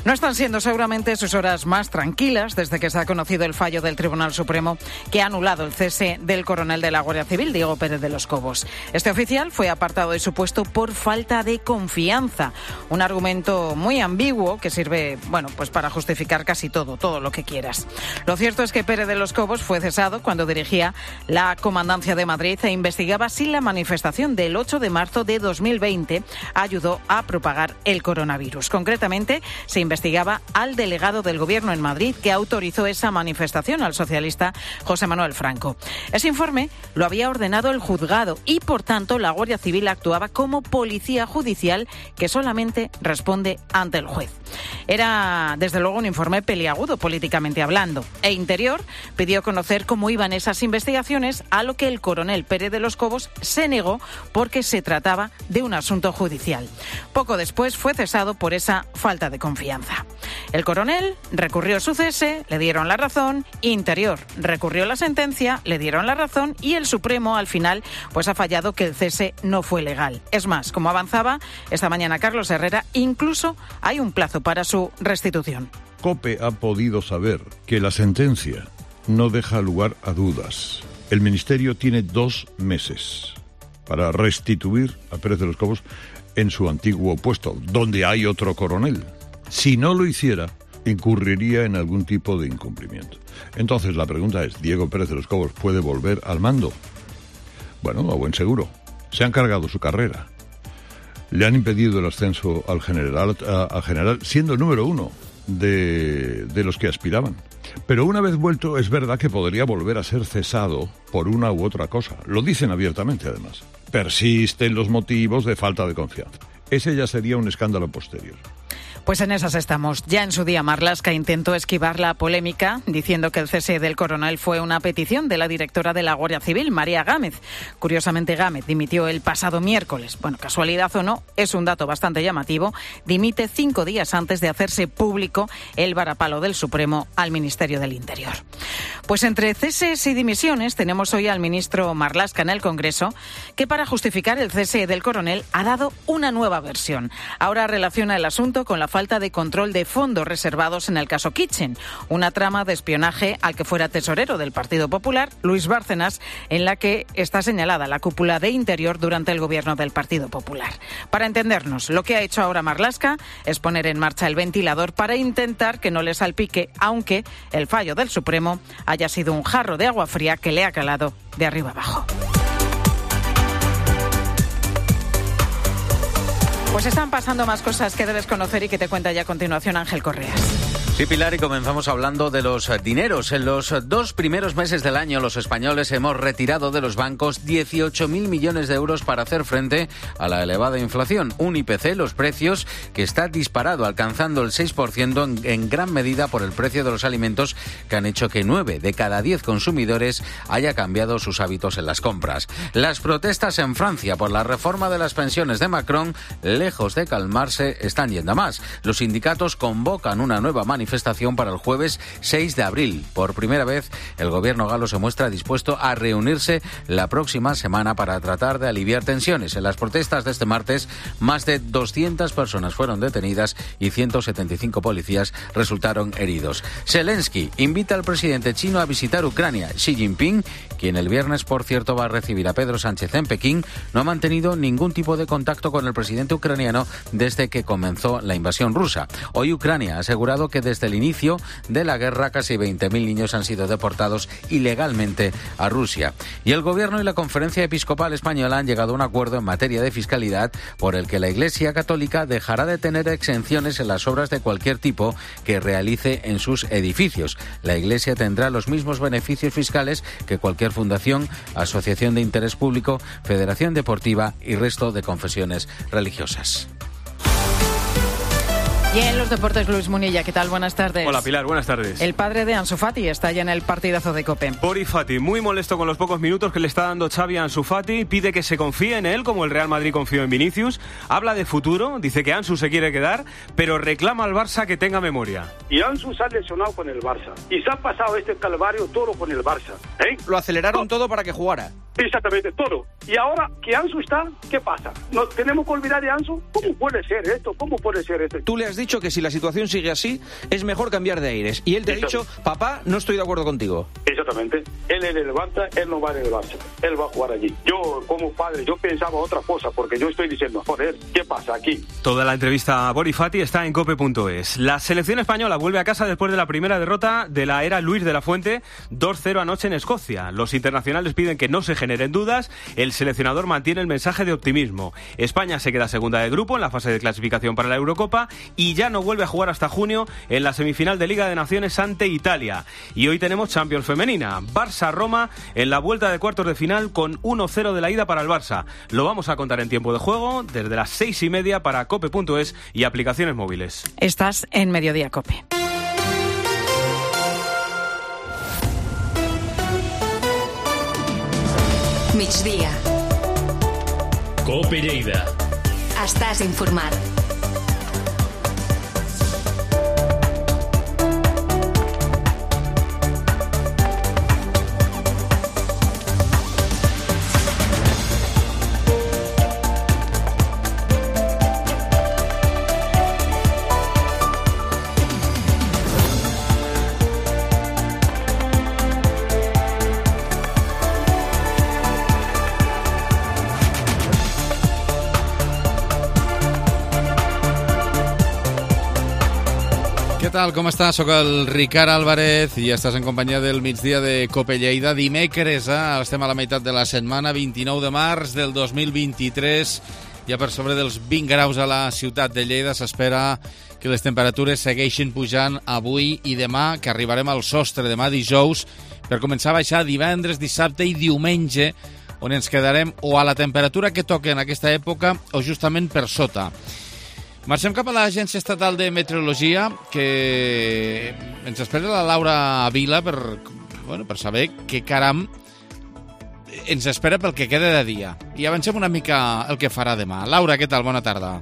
No están siendo seguramente sus horas más tranquilas desde que se ha conocido el fallo del Tribunal Supremo que ha anulado el cese del coronel de la Guardia Civil, Diego Pérez de los Cobos. Este oficial fue apartado de su puesto por falta de confianza. Un argumento muy ambiguo que sirve, bueno, pues para justificar casi todo, todo lo que quieras. Lo cierto es que Pérez de los Cobos fue cesado cuando dirigía la Comandancia de Madrid e investigaba si la manifestación del ocho de marzo de dos mil veinte ayudó a propagar el coronavirus. Concretamente, se investigaba al delegado del Gobierno en Madrid que autorizó esa manifestación, al socialista José Manuel Franco. Ese informe lo había ordenado el juzgado y, por tanto, la Guardia Civil actuaba como policía judicial que solamente responde ante el juez. Era, desde luego, un informe peliagudo políticamente hablando. E Interior pidió conocer cómo iban esas investigaciones, a lo que el coronel Pérez de los Cobos se negó porque se trataba de un asunto judicial. Poco después fue cesado por esa falta de confianza. El coronel recurrió su cese, le dieron la razón, Interior recurrió la sentencia, le dieron la razón y el Supremo al final pues ha fallado que el cese no fue legal. Es más, como avanzaba esta mañana Carlos Herrera, incluso hay un plazo para su restitución. COPE ha podido saber que la sentencia no deja lugar a dudas. El Ministerio tiene dos meses para restituir a Pérez de los Cobos en su antiguo puesto, donde hay otro coronel. Si no lo hiciera, incurriría en algún tipo de incumplimiento. Entonces la pregunta es, ¿Diego Pérez de los Cobos puede volver al mando? Bueno, a buen seguro. Se han cargado su carrera. Le han impedido el ascenso al general, a, a general siendo el número uno de, de los que aspiraban. Pero una vez vuelto, es verdad que podría volver a ser cesado por una u otra cosa. Lo dicen abiertamente, además. Persisten los motivos de falta de confianza. Ese ya sería un escándalo posterior. Pues en esas estamos. Ya en su día Marlaska intentó esquivar la polémica diciendo que el cese del coronel fue una petición de la directora de la Guardia Civil, María Gámez. Curiosamente, Gámez dimitió el pasado miércoles. Bueno, casualidad o no, es un dato bastante llamativo. Dimite cinco días antes de hacerse público el varapalo del Supremo al Ministerio del Interior. Pues entre ceses y dimisiones tenemos hoy al ministro Marlaska en el Congreso, que para justificar el cese del coronel ha dado una nueva versión. Ahora relaciona el asunto con la falta de control de fondos reservados en el caso Kitchen, una trama de espionaje al que fuera tesorero del Partido Popular, Luis Bárcenas, en la que está señalada la cúpula de Interior durante el gobierno del Partido Popular. Para entendernos, lo que ha hecho ahora Marlaska es poner en marcha el ventilador para intentar que no le salpique, aunque el fallo del Supremo haya sido un jarro de agua fría que le ha calado de arriba abajo. Pues están pasando más cosas que debes conocer y que te cuenta ya a continuación Ángel Correas. Sí, Pilar, y comenzamos hablando de los dineros. En los dos primeros meses del año, los españoles hemos retirado de los bancos dieciocho mil millones de euros para hacer frente a la elevada inflación. Un I P C, los precios, que está disparado, alcanzando el seis por ciento en, en gran medida por el precio de los alimentos, que han hecho que nueve de cada diez consumidores haya cambiado sus hábitos en las compras. Las protestas en Francia por la reforma de las pensiones de Macron, lejos de calmarse, están yendo a más. Los sindicatos convocan una nueva manifestación manifestación para el jueves seis de abril. Por primera vez, el gobierno galo se muestra dispuesto a reunirse la próxima semana para tratar de aliviar tensiones. En las protestas de este martes, más de doscientas personas fueron detenidas y ciento setenta y cinco policías resultaron heridos. Zelensky invita al presidente chino a visitar Ucrania. Xi Jinping, quien el viernes, por cierto, va a recibir a Pedro Sánchez en Pekín, no ha mantenido ningún tipo de contacto con el presidente ucraniano desde que comenzó la invasión rusa. Hoy Ucrania ha asegurado que desde el inicio de la guerra casi veinte mil niños han sido deportados ilegalmente a Rusia. Y el gobierno y la Conferencia Episcopal Española han llegado a un acuerdo en materia de fiscalidad por el que la Iglesia Católica dejará de tener exenciones en las obras de cualquier tipo que realice en sus edificios. La Iglesia tendrá los mismos beneficios fiscales que cualquier fundación, asociación de interés público, federación deportiva y resto de confesiones religiosas. Y en los deportes, Luis Munilla, ¿qué tal? Buenas tardes. Hola, Pilar, buenas tardes. El padre de Ansu Fati está ya en el partidazo de COPE. Bori Fati, muy molesto con los pocos minutos que le está dando Xavi a Ansu Fati, pide que se confíe en él, como el Real Madrid confió en Vinicius, habla de futuro, dice que Ansu se quiere quedar, pero reclama al Barça que tenga memoria. Y Ansu se ha lesionado con el Barça, y se ha pasado este calvario todo con el Barça. ¿eh? Lo aceleraron todo para que jugara. Exactamente, todo. Y ahora que Ansu está, ¿qué pasa? ¿Nos tenemos que olvidar de Ansu? ¿Cómo puede ser esto? ¿Cómo puede ser esto? Tú le has dicho que si la situación sigue así, es mejor cambiar de aires. Y él te ha dicho, papá, no estoy de acuerdo contigo. Exactamente. Él es el Barça, él no va en el Barça. Él va a jugar allí. Yo, como padre, yo pensaba otra cosa, porque yo estoy diciendo, joder, ¿qué pasa aquí? Toda la entrevista a Bori Fati está en cope punto es. La selección española vuelve a casa después de la primera derrota de la era Luis de la Fuente, dos cero anoche en Escocia. Los internacionales piden que no se generen dudas. El seleccionador mantiene el mensaje de optimismo. España se queda segunda de grupo en la fase de clasificación para la Eurocopa y ya no vuelve a jugar hasta junio en la semifinal de Liga de Naciones ante Italia. Y hoy tenemos Champions femenina. Barça-Roma en la vuelta de cuartos de final con uno cero de la ida para el Barça. Lo vamos a contar en tiempo de juego desde las seis y media para cope punto es y aplicaciones móviles. Estás en Mediodía Cope. Migdia. Cope Lleida. Estàs informat. Què tal, com estàs? Soc el Ricard Álvarez i estàs en companyia del migdia de Cope Lleida. Dimecres, eh? Estem a la meitat de la setmana, vint-i-nou de març del dos mil vint-i-tres. Ja per sobre dels vint graus a la ciutat de Lleida. S'espera que les temperatures segueixin pujant avui i demà, que arribarem al sostre demà dijous, per començar a baixar divendres, dissabte i diumenge, on ens quedarem o a la temperatura que toca en aquesta època o justament per sota. Marxem cap a l'Agència Estatal de Meteorologia, que ens espera la Laura Vila per, bueno, per saber què caram ens espera pel que queda de dia. I avancem una mica el que farà demà. Laura, què tal? Bona tarda.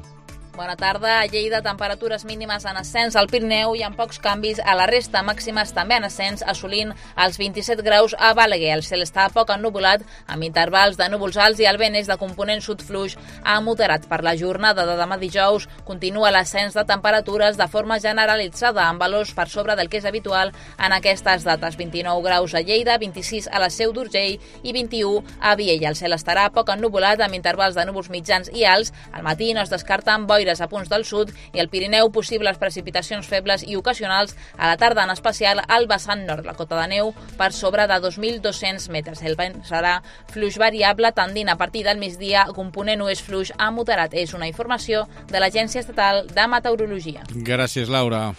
Bona tarda. A Lleida, temperatures mínimes en ascens al Pirineu i amb pocs canvis a la resta, màximes també en ascens, assolint els vint-i-set graus a Balaguer. El cel està poc ennubulat, amb intervals de núvols alts i el vent és de component sud fluix a moderat. Per la jornada de demà dijous continua l'ascens de temperatures de forma generalitzada, amb valors per sobre del que és habitual en aquestes dates. vint-i-nou graus a Lleida, vint-i-sis a la Seu d'Urgell i vint-i-u a Viella. El cel estarà poc ennubulat, amb intervals de núvols mitjans i alts. Al matí no es descarten boires a punts del sud i al Pirineu possibles precipitacions febles i ocasionals, a la tarda en especial al vessant nord. La cota de neu per sobre de dos mil dos-cents metres. El vent serà fluix variable, tendint a partir del migdia, component oest fluix a moderat. És una informació de l'Agència Estatal de Meteorologia. Gràcies, Laura.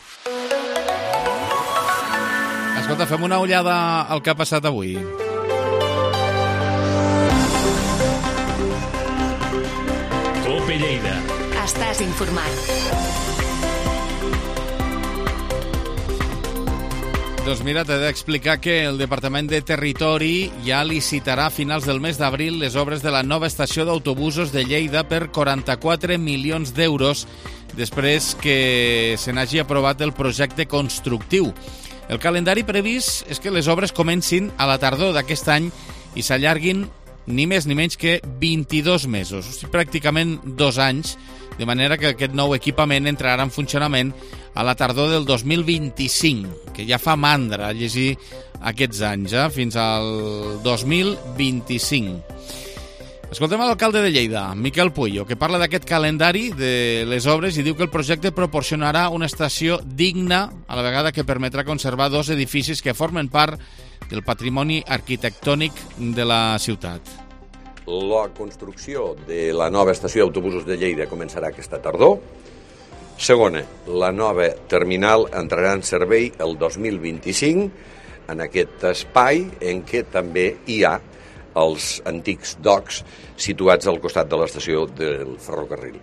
Escolta, fem una ullada al que ha passat avui. Cope Lleida. Estàs informat. doncs mira, t'he d'explicar que el Departament de Territori ja licitarà a finals del mes d'abril les obres de la nova estació d'autobusos de Lleida per quaranta-quatre milions d'euros després que se n'hagi aprovat el projecte constructiu. El calendari previst és que les obres comencin a la tardor d'aquest any i s'allarguin ni més ni menys que vint-i-dos mesos, o sigui, pràcticament dos anys, de manera que aquest nou equipament entrarà en funcionament a la tardor del dos mil vint-i-cinc, que ja fa mandra llegir aquests anys, eh? Fins al dos mil vint-i-cinc. Escoltem l'alcalde de Lleida, Miquel Puello, que parla d'aquest calendari de les obres i diu que el projecte proporcionarà una estació digna, a la vegada que permetrà conservar dos edificis que formen part del patrimoni arquitectònic de la ciutat. La construcció de la nova estació d'autobusos de Lleida començarà aquesta tardor. Segona, la nova terminal entrarà en servei el dos mil vint-i-cinc en aquest espai en què també hi ha els antics docks situats al costat de l'estació del ferrocarril.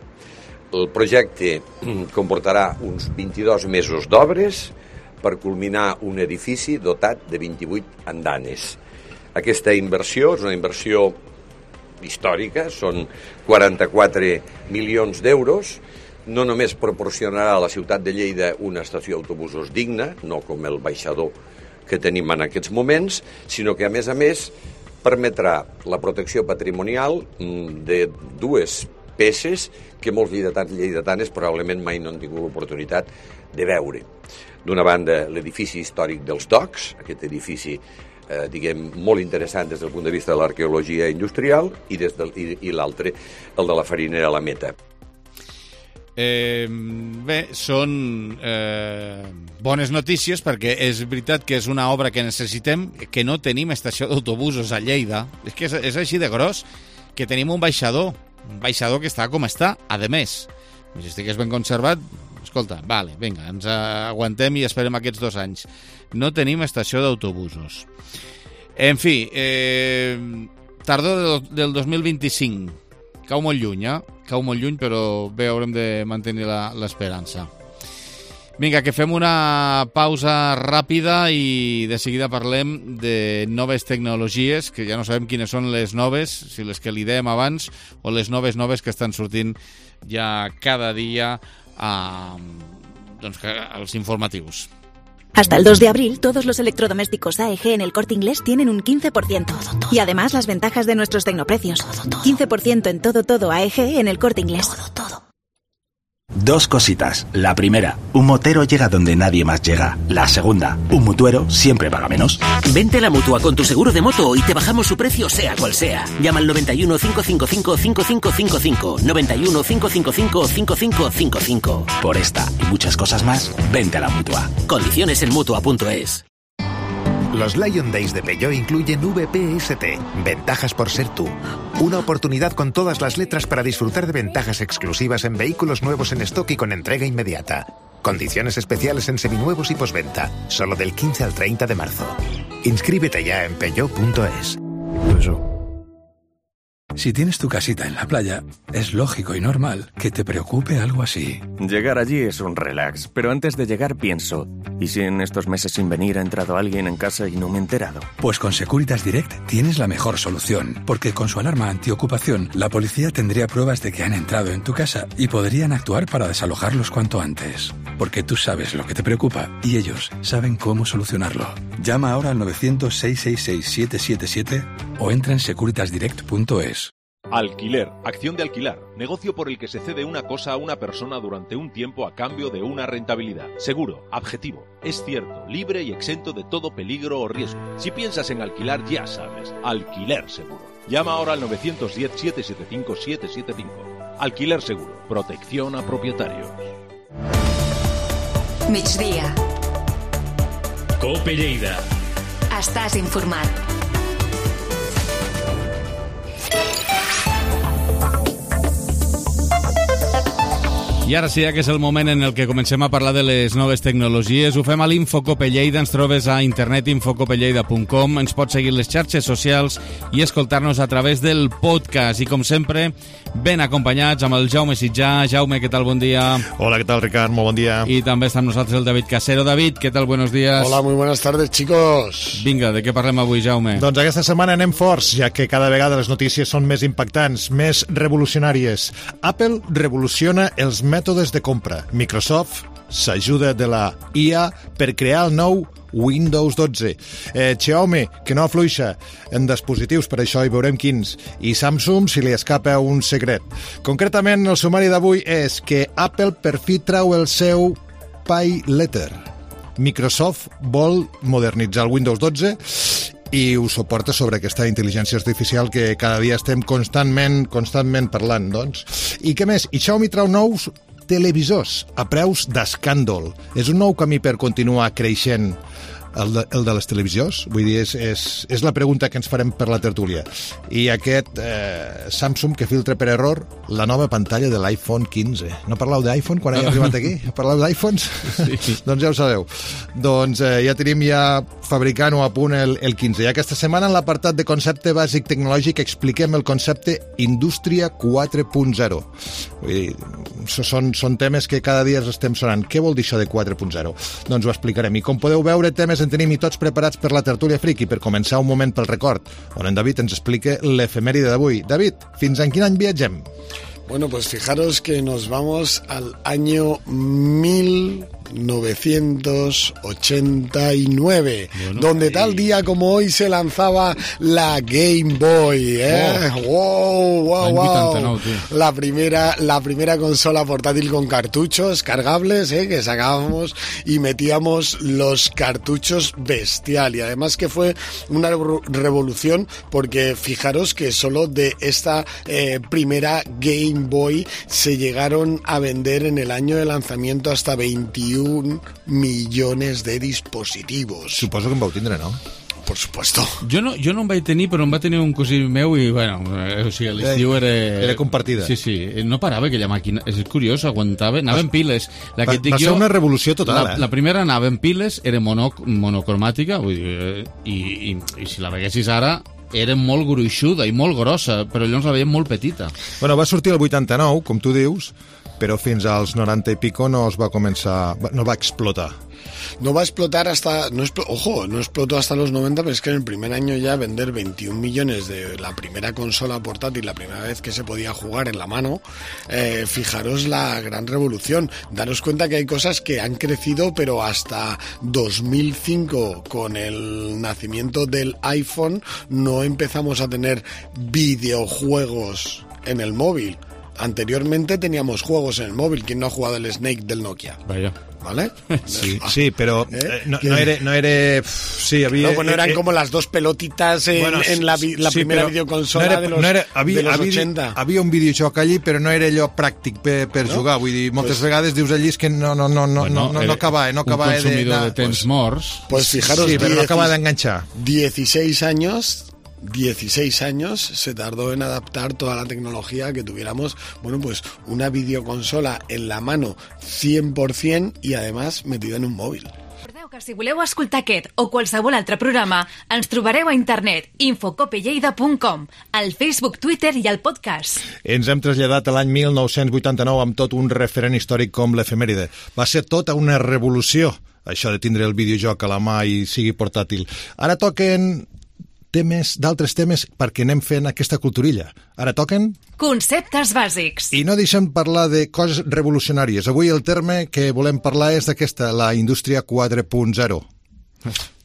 El projecte comportarà uns vint-i-dos mesos d'obres per culminar un edifici dotat de vint-i-vuit andanes. Aquesta inversió és una inversió històrica, són quaranta-quatre milions d'euros, no només proporcionarà a la ciutat de Lleida una estació d'autobusos digna, no com el baixador que tenim en aquests moments, sinó que, a més a més, permetrà la protecció patrimonial de dues peces que molts lleidatans i lleidatanes probablement mai no han tingut l'oportunitat de veure. D'una banda, l'edifici històric dels docks, aquest edifici Eh, diguem, molt interessant des del punt de vista de l'arqueologia industrial, i, des del, i, i l'altre, el de la farinera La Meta. Eh, bé, són eh, bones notícies perquè és veritat que és una obra que necessitem, que no tenim estació d'autobusos a Lleida. És que és, és així de gros, que tenim un baixador, un baixador que està com està, a més. Si estigués ben conservat, escolta, vale, vinga, ens aguantem i esperem aquests dos anys. No tenim estació d'autobusos. En fi, eh, tardor del, del dos mil vint-i-cinc. Cau molt lluny, eh? Cau molt lluny, però bé, haurem de mantenir l'esperança. Vinga, que fem una pausa ràpida i de seguida parlem de noves tecnologies, que ja no sabem quines són les noves, si les que li dèiem abans o les noves noves que estan sortint ja cada dia a, doncs, als informatius. Hasta el dos de abril, todos los electrodomésticos A E G en El Corte Inglés tienen un quince por ciento. Todo, todo. Y además las ventajas de nuestros tecnoprecios. Todo, todo. quince por ciento en todo, todo A E G en El Corte Inglés. Todo, todo. Dos cositas. La primera, un motero llega donde nadie más llega. La segunda, un mutuero siempre paga menos. Vente a la Mutua con tu seguro de moto y te bajamos su precio sea cual sea. Llama al noventa y uno, cinco cinco cinco, cinco cinco cinco cinco. noventa y uno, cinco cinco cinco, cinco cinco cinco cinco. Por esta y muchas cosas más, vente a la Mutua. Condiciones en Mutua punto es. Los Lion Days de Peugeot incluyen V P S T, ventajas por ser tú. Una oportunidad con todas las letras para disfrutar de ventajas exclusivas en vehículos nuevos en stock y con entrega inmediata. Condiciones especiales en seminuevos y posventa, solo del quince al treinta de marzo. Inscríbete ya en Peugeot punto es. Si tienes tu casita en la playa, es lógico y normal que te preocupe algo así. Llegar allí es un relax, pero antes de llegar pienso, ¿y si en estos meses sin venir ha entrado alguien en casa y no me he enterado? Pues con Securitas Direct tienes la mejor solución, porque con su alarma antiocupación, la policía tendría pruebas de que han entrado en tu casa y podrían actuar para desalojarlos cuanto antes. Porque tú sabes lo que te preocupa y ellos saben cómo solucionarlo. Llama ahora al novecientos, seiscientos sesenta y seis, siete siete siete o entra en securitas direct punto es. Alquiler, acción de alquilar, negocio por el que se cede una cosa a una persona durante un tiempo a cambio de una rentabilidad. Seguro, objetivo, es cierto, libre y exento de todo peligro o riesgo. Si piensas en alquilar, ya sabes, Alquiler Seguro. Llama ahora al novecientos diez, setecientos setenta y cinco, setecientos setenta y cinco. Alquiler Seguro, protección a propietarios. Migdia. Cope Lleida. Estàs informat. I ara sí que és el moment en el que comencem a parlar de les noves tecnologies. Ho fem a l'Infocope Lleida, ens trobes a internet infocope lleida punt com, ens pots seguir les xarxes socials i escoltar-nos a través del podcast. I com sempre, ben acompanyats amb el Jaume Sitjà. Jaume, què tal? Bon dia. Hola, què tal, Ricard? Molt bon dia. I també està amb nosaltres el David Casero. David, què tal? Buenos días. Hola, muy buenas tardes, chicos. Vinga, de què parlem avui, Jaume? Doncs aquesta setmana anem forts, ja que cada vegada les notícies són més impactants, més revolucionàries. Apple revoluciona els mètodes de compra. Microsoft s'ajuda de la I A per crear el nou Windows dotze. Eh, Xiaomi, que no afluixa en dispositius, per això hi veurem quins. I Samsung, si li escapa un secret. Concretament, el sumari d'avui és que Apple per fi trau el seu Pay Letter. Microsoft vol modernitzar el Windows dotze i ho suporta sobre aquesta intel·ligència artificial que cada dia estem constantment constantment parlant, doncs. I què més? I Xiaomi trau nous televisors a preus d'escàndol. És un nou camí per continuar creixent el de, el de les televisions? Vull dir, és, és, és la pregunta que ens farem per la tertúlia. I aquest eh, Samsung que filtra per error la nova pantalla de l'iPhone quinze. No parleu d'iPhone quan he arribat aquí? Parleu d'iPhones? Sí. Doncs ja ho sabeu. Doncs eh, ja tenim ja fabricant-ho a punt el, el quinze. I aquesta setmana en l'apartat de concepte bàsic tecnològic expliquem el concepte Indústria quatre punt zero. Vull dir, són, són temes que cada dia estem sonant. Què vol dir això de quatre punt zero? Doncs ho explicarem. I com podeu veure, temes en tenim i tots preparats per la tertúlia friki. Per començar, un moment pel record, on en David ens explica l'efemèride d'avui. David, fins en quin any viatgem? Bueno, pues fijaros que nos vamos al año mil novecientos ochenta y nueve, bueno, donde tal día como hoy se lanzaba la Game Boy, ¿eh? Wow, wow, wow. wow. La primera, la primera consola portátil con cartuchos cargables, ¿eh? Que sacábamos y metíamos los cartuchos bestial. Y además que fue una revolución porque fijaros que solo de esta eh, primera Game Boy se llegaron a vender en el año de lanzamiento hasta veintiún millones de dispositivos. Suposo que en vau tindre, no? Por supuesto. Jo no, jo no en vaig tenir, però en va tenir un cosí meu i, bueno, o sigui, l'estiu era... Era compartida. Sí, sí, no parava aquella màquina. És curiós, aguantava, anava en piles. La que va, va ser jo, una revolució total, la, eh? La primera anava en piles, era mono, monocromàtica, vull dir, i, i, i si la veguessis ara era molt gruixuda i molt grossa, però llavors la veiem molt petita. Bueno, va sortir el vuitanta-nou, com tu dius, però fins als noranta i pico no es va començar, no va explotar. No va a explotar hasta, no expl- ojo, no explotó hasta los noventa, pero es que en el primer año ya vender veintiún millones de la primera consola portátil, la primera vez que se podía jugar en la mano, eh, fijaros la gran revolución. Daros cuenta que hay cosas que han crecido, pero hasta dos mil cinco, con el nacimiento del iPhone, no empezamos a tener videojuegos en el móvil. Anteriormente teníamos juegos en el móvil. ¿Quién no ha jugado el Snake del Nokia? Vaya. ¿Vale? Sí, sí, pero ¿Eh? no, no era... No, era sí, había, no, bueno, eran eh, como las dos pelotitas en, bueno, en la, la sí, primera videoconsola no era, de los, no era, havia, de los havia, ochenta. Havia un videojoc allí, però no era allò pràctic per, per no? jugar. Vull dir, moltes pues, vegades dius allí que no, no, no, no, bueno, no, no, no acaba, no acaba un consumidor de, de temps pues, morts. Pues fijaros, sí, però no acaba d'enganxar. dieciséis años... dieciséis años se tardó en adaptar toda la tecnología que tuviéramos, bueno, pues una videoconsola en la mano cien por ciento y además metida en un móvil. Recordeu que si voleu escoltar aquest o qualsevol altre programa, ens trobareu a internet infocope lleida punt com, al Facebook, Twitter i al podcast. Ens hem traslladat a l'any mil nou-cents vuitanta-nou amb tot un referent històric com l'efemèride. Va ser tota una revolució, això de tindre el videojoc a la mà i sigui portàtil. Ara toquen temes, d'altres temes perquè anem fent aquesta culturilla. Ara toquen... Conceptes bàsics. I no deixem parlar de coses revolucionàries. Avui el terme que volem parlar és d'aquesta, la indústria quatre punt zero.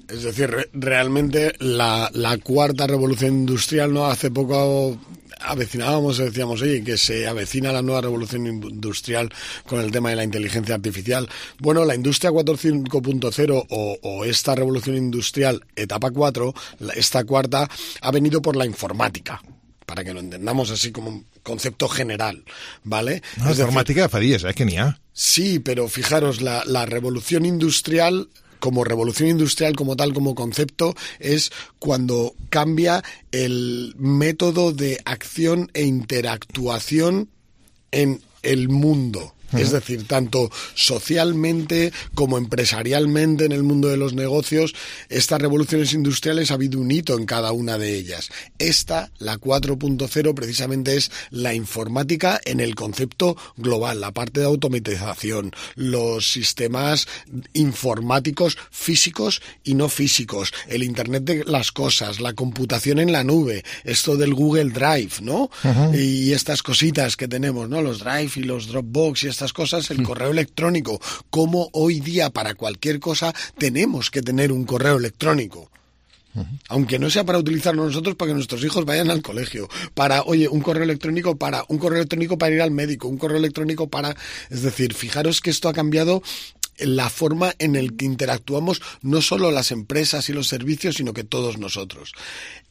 Es decir, re- realmente la, la cuarta revolución industrial, ¿no? Hace poco avecinábamos, decíamos, oye, que se avecina la nueva revolución industrial con el tema de la inteligencia artificial. Bueno, la industria cuatro punto cero o, o esta revolución industrial etapa cuatro, esta cuarta, ha venido por la informática, para que lo entendamos así como un concepto general, ¿vale? No, la informática fa dies, eh, que n'hi ha. Sí, pero fijaros, la, la revolución industrial... como revolución industrial, como tal, como concepto, es cuando cambia el método de acción e interactuación en el mundo. Es decir, tanto socialmente como empresarialmente en el mundo de los negocios, estas revoluciones industriales ha habido un hito en cada una de ellas. Esta, la cuatro punto cero, precisamente es la informática en el concepto global, la parte de automatización, los sistemas informáticos físicos y no físicos, el Internet de las cosas, la computación en la nube, esto del Google Drive, ¿no? Uh-huh. Y estas cositas que tenemos, ¿no? Los Drive y los Dropbox y estas cosas, el correo electrónico, como hoy día para cualquier cosa tenemos que tener un correo electrónico. Uh-huh. Aunque no sea para utilizarlo nosotros para que nuestros hijos vayan al colegio, para, oye, un correo electrónico para, un correo electrónico para ir al médico, un correo electrónico para... Es decir, fijaros que esto ha cambiado la forma en la que interactuamos no solo las empresas y los servicios, sino que todos nosotros.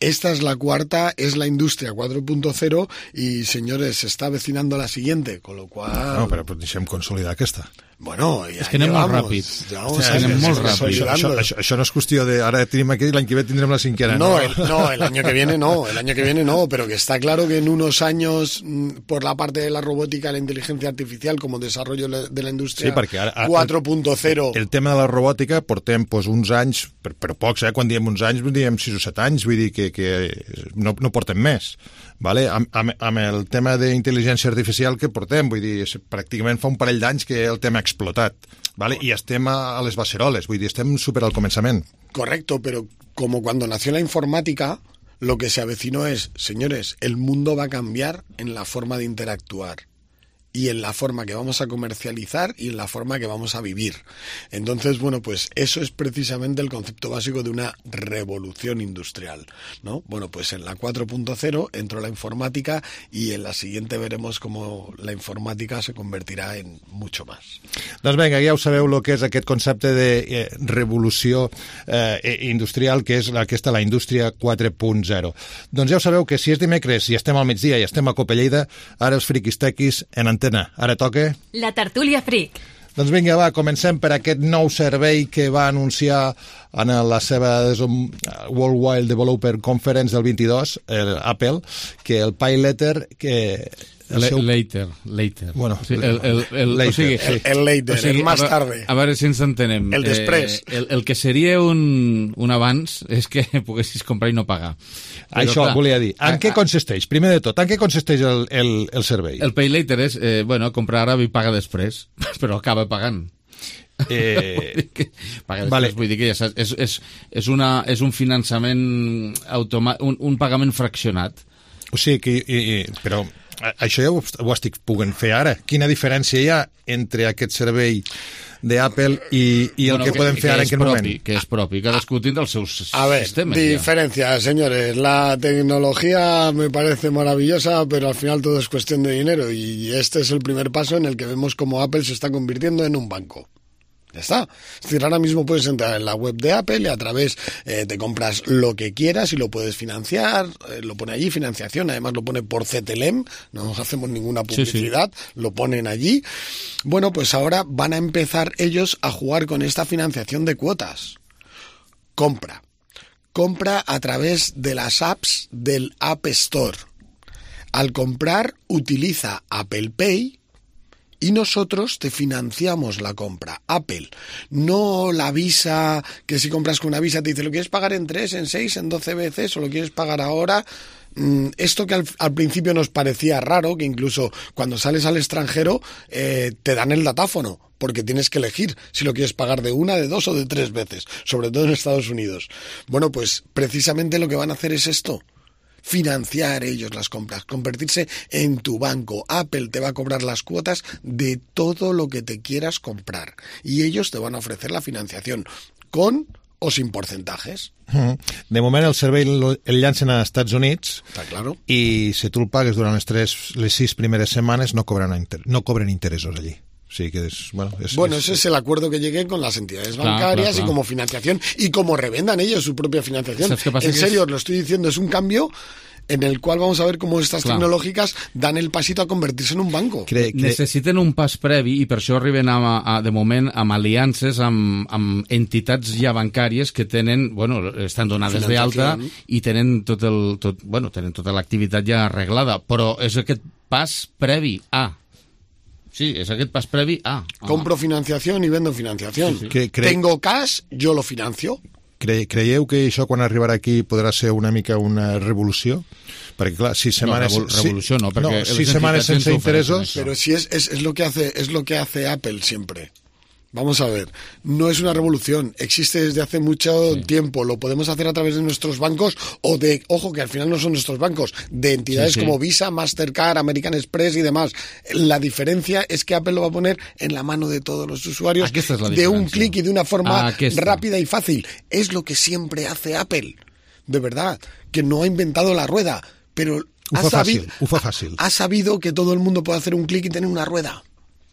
Esta es la cuarta, es la industria cuatro punto cero y, señores, se está avecinando la siguiente, con lo cual... No, però deixem consolidar aquesta. Bueno, ja és que anem molt ràpid. Ja o sea, anem molt ràpid. Això, això, això, això no es cuestió de ara tenim aquí, l'any que ve tindrem la cinquena. No, no, el, no, el año que viene no, el año que viene no, pero que está claro que en unos años, por la parte de la robótica, la inteligencia artificial como desarrollo de la industria sí, ara, ara, cuatro punto cero... El, el tema de la robòtica portem pues, uns anys, però, però pocs, eh? Quan diem uns anys, diem sis o set anys, vull dir que, que no, no portem més. Vale? Amb, amb, amb el tema d'intel·ligència artificial que portem, vull dir, pràcticament fa un parell d'anys que el tema ha explotat, vale? I estem a, a les baceroles, vull dir, estem super al començament. Correcto, pero como cuando nació la informática, lo que se avecinó es, señores, el mundo va a cambiar en la forma de interactuar y en la forma que vamos a comercializar y en la forma que vamos a vivir. Entonces, bueno, pues eso es precisamente el concepto básico de una revolución industrial, ¿no? Bueno, pues en la cuatro punto cero entró la informática y en la siguiente veremos cómo la informática se convertirà en mucho más. Doncs vinga, ja ho sabeu el que és aquest concepte de eh, revolució eh, industrial, que és aquesta, la indústria quatre punt zero. Doncs ja ho sabeu que si és dimecres i estem al migdia i estem a Cope Lleida, ara els friquis tequis en antena. Ara toca... La tertúlia fric. Doncs vinga, va, comencem per aquest nou servei que va anunciar en la seva Worldwide Developer Conference del vint-i-dos, el Apple, que el Pay Later... que El seu... Later, later. Bueno, o sigui, el, el, el, later, o sigui, el, el later, o sigui, el más tarde. A, a veure si ens entenem. El després. Eh, el, el que seria un, un abans és que poguessis comprar i no pagar. Però, això clar, volia dir. En a, què consisteix? Primer de tot, en què consisteix el, el, el servei? El Pay Later és, eh, bueno, comprar ara i paga després, però acaba pagant. Eh, paga després, vale. Vull dir que ja saps, és, és, és, una, és un finançament automàtic, un, un pagament fraccionat. O sigui que... I, i, però... Això ja ho, ho estic puguent fer ara. Quina diferència hi ha entre aquest servei d'Apple i, i el bueno, que, que podem fer que ara en aquest propi, moment? Que és propi, cadascú tindrà els seus a ver, sistemes. Diferencia, ya. Señores. La tecnología me parece maravillosa, pero al final todo es cuestión de dinero y este es el primer paso en el que vemos cómo Apple se está convirtiendo en un banco. Ya está. Es decir, ahora mismo puedes entrar en la web de Apple y a través eh, te compras lo que quieras y lo puedes financiar, eh, lo pone allí, financiación, además lo pone por C T L E M, no hacemos ninguna publicidad, sí, sí. Lo ponen allí. Bueno, pues ahora van a empezar ellos a jugar con esta financiación de cuotas. Compra. Compra a través de las apps del App Store. Al comprar, utiliza Apple Pay y nosotros te financiamos la compra. Apple, no la Visa, que si compras con una Visa te dice, ¿lo quieres pagar en tres, en seis, en doce veces o lo quieres pagar ahora? Esto que al, al principio nos parecía raro, que incluso cuando sales al extranjero eh, te dan el datáfono, porque tienes que elegir si lo quieres pagar de una, de dos o de tres veces, sobre todo en Estados Unidos. Bueno, pues precisamente lo que van a hacer es esto. Financiar ellos las compras, convertirse en tu banco. Apple te va a cobrar las cuotas de todo lo que te quieras comprar y ellos te van a ofrecer la financiación con o sin porcentajes. De moment el servei el llancen a Estats Units. Está claro. I si tu el pagues durant les, tres, les sis primeres setmanes no cobren, inter, no cobren interessos allí. Sí, que es, bueno, es, bueno, es, ese es el acuerdo que llegué con las entidades bancarias, claro, claro, claro. Y como financiación y como revendan ellos su propia financiación. En serio, os lo estoy diciendo, es un cambio en el cual vamos a ver cómo estas clar. tecnològiques dan el pasito a convertir-se en un banco. Cre cre Necessiten un pas previ i per això arriben a, a, de moment amb aliances amb, amb entitats ja bancàries que tenen, bueno, estan donades d'alta i tenen tot el, tot, bueno, tenen tota l'activitat ja arreglada, però és aquest pas previ a... Sí, és aquest pas previ a... Ah. Compro financiación y vendo financiación. Sí, sí. Que cre... Tengo cash, yo lo financio. Cre creieu que això quan arribarà aquí podrà ser una mica una revolució? Perquè clar, sis setmanes... No, revolució no, perquè... No, sis setmanes sense interessos... Pero si es, es, es, lo que hace, es lo que hace Apple siempre. Vamos a ver, no es una revolución, existe desde hace mucho sí. tiempo, lo podemos hacer a través de nuestros bancos o de, ojo, que al final no son nuestros bancos, de entidades sí, sí. como Visa, Mastercard, American Express y demás. La diferencia es que Apple lo va a poner en la mano de todos los usuarios de un clic y de una forma rápida y fácil. Es lo que siempre hace Apple, de verdad, que no ha inventado la rueda, pero ha sabido, fàcil, ho fa fàcil. ha sabido que todo el mundo puede hacer un clic y tener una rueda.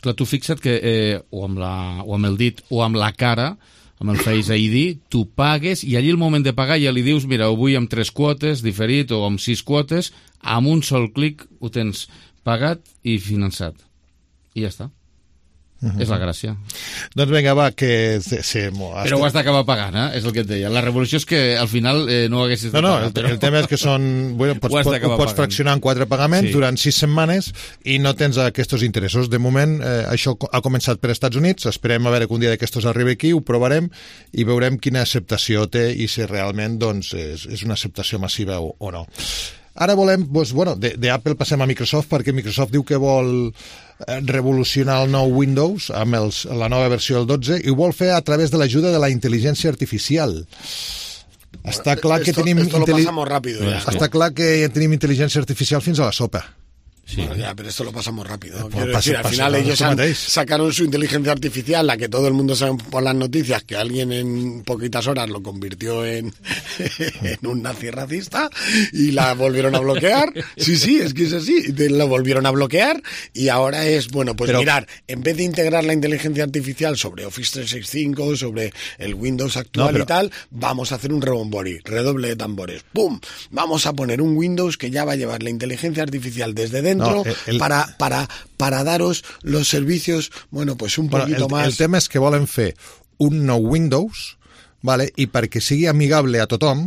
Clar, tu fixa't que eh, o, amb la, o amb el dit o amb la cara, amb el Face I D, tu pagues i allí el moment de pagar ja li dius, mira, ho vull amb tres quotes, diferit, o amb sis quotes, amb un sol clic ho tens pagat i finançat. I ja està. Uh-huh. És la gràcia. Doncs vinga, va, que... Sí, sí, però ho has d'acabar pagant, eh? És el que et deia. La revolució és que al final eh, no ho haguessis de no, no, pagar. El, però... el tema és que són... Bueno, pots, ho, ho pots fraccionar en quatre pagaments sí. durant sis setmanes i no tens aquests interessos. De moment, eh, això ha començat per Estats Units, esperem a veure que un dia d'aquestos arribi aquí, ho provarem i veurem quina acceptació té i si realment doncs, és, és una acceptació massiva o, o no. Ara volem, doncs, bueno, d'Apple passem a Microsoft perquè Microsoft diu que vol revolucionar el nou Windows amb els, la nova versió del dotze i ho vol fer a través de l'ajuda de la intel·ligència artificial. Està clar que esto, tenim esto lo pasamos rápido ya. Està clar que tenim intel·ligència artificial fins a la sopa. Sí. Bueno, ya, pero esto lo pasamos rápido. Pues Quiero pasa, decir, al pasa, final pasa, ellos han, sacaron su inteligencia artificial, la que todo el mundo sabe por las noticias, que alguien en poquitas horas lo convirtió en, en un nazi racista y la volvieron a bloquear. Sí, sí, es que es así. Lo volvieron a bloquear y ahora es, bueno, pues pero, mirar, en vez de integrar la inteligencia artificial sobre Office trescientos sesenta y cinco, sobre el Windows actual no, pero, y tal, vamos a hacer un rebombori, redoble de tambores. ¡Pum! Vamos a poner un Windows que ya va a llevar la inteligencia artificial desde dentro. No, el, el, para, para, para daros los servicios, bueno, pues un bueno, poquito el, más... El tema és que volen fer un nou Windows, vale? I perquè sigui amigable a tothom,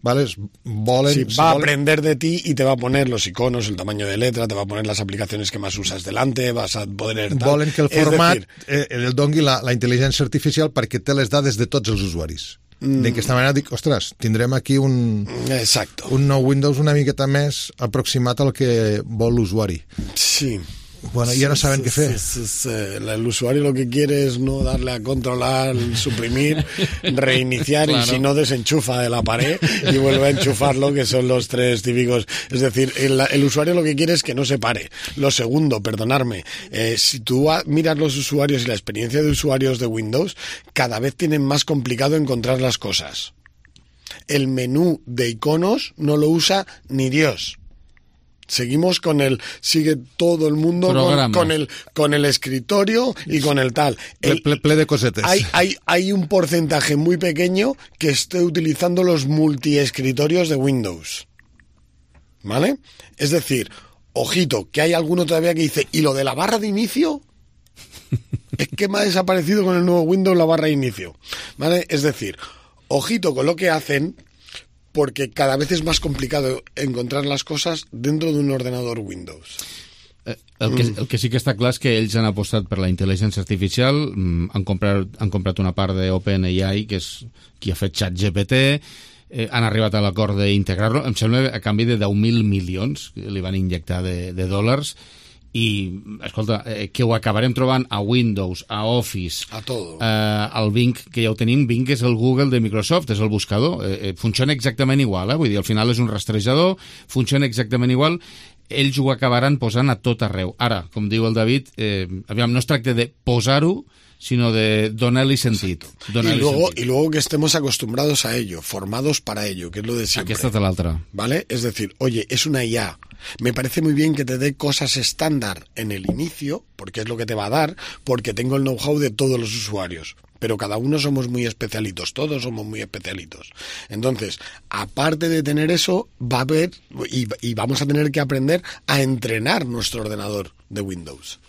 vale? volen... Sí, va a aprender de ti y te va a poner los iconos, el tamaño de letra, te va a poner las aplicaciones que más usas delante, vas a poder... Tal. Volen que el format decir, eh, el dongui la, la intel·ligència artificial perquè té les dades de tots els usuaris. D'aquesta manera dic, ostres, tindrem aquí un, Exacto. un nou Windows una miqueta més aproximat al que vol l'usuari. Sí. Bueno, ya no saben sí, qué hacer. Sí, sí, sí. El usuario lo que quiere es no darle a controlar, suprimir, reiniciar claro. y si no desenchufa de la pared y vuelve a enchufarlo, que son los tres típicos. Es decir, el, el usuario lo que quiere es que no se pare. Lo segundo, perdonarme, eh, si tú miras los usuarios y la experiencia de usuarios de Windows, cada vez tienen más complicado encontrar las cosas. El menú de iconos no lo usa ni Dios. Seguimos con el, sigue todo el mundo con, con el con el escritorio y con el tal. El, ple, ple de cosetes. Hay, hay, hay un porcentaje muy pequeño que esté utilizando los multiescritorios de Windows. ¿Vale? Es decir, ojito, que hay alguno todavía que dice, ¿y lo de la barra de inicio? Es que me ha desaparecido con el nuevo Windows la barra de inicio. ¿Vale? Es decir, ojito con lo que hacen, porque cada vez es más complicado encontrar las cosas dentro de un ordenador Windows. El que, el que sí que està clar és que ells han apostat per la intel·ligència artificial, han comprat, han comprat una part d'OpenAI, que és qui ha fet ChatGPT, eh, han arribat a l'acord d'integrar-lo, em sembla a canvi de deu mil milions que li van injectar de, de dòlars, i, escolta, eh, que ho acabarem trobant a Windows, a Office, a todo. Eh, al Bing, que ja ho tenim. Bing és el Google de Microsoft, és el buscador. Eh, funciona exactament igual, eh? Vull dir, al final és un rastrejador, funciona exactament igual. Ells ho acabaran posant a tot arreu. Ara, com diu el David, eh, aviam, no es tracta de posar-ho, sino de donar-li sentit. Donar y, luego, sentit. y luego que estemos acostumbrados a ello, formados para ello, que es lo de siempre. Aquesta és l'altra. ¿Vale? Es decir, oye, es una I A. Me parece muy bien que te dé cosas estándar en el inicio, porque es lo que te va a dar, porque tengo el know-how de todos los usuarios. Pero cada uno somos muy especialitos, todos somos muy especialitos. Entonces, aparte de tener eso, va a haber, y, y vamos a tener que aprender a entrenar nuestro ordenador de Windows.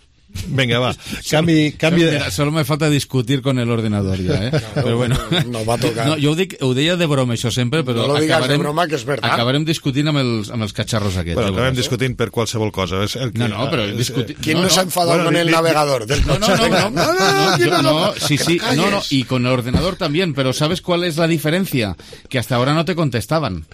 Venga, va. Canvi, canvi de... Mira, solo me falta discutir con el ordenador ya, ¿eh? Pero bueno. No va a tocar. No, jo ho, dic, ho deia de broma, això sempre, però no lo digas acabarem, de broma, que és verdad. Acabarem discutint amb els, amb els catxarros aquests. Bueno, acabem discutint per qualsevol cosa. És el que, no, no, però discutir... ¿Quién no, no se ha enfadado bueno, con el di, navegador del no, coche? no, no, no, no, no, no, no, no, sí, sí, no, no, y con el ordenador también, pero ¿sabes cuál es la diferencia? Que hasta ahora no te contestaban.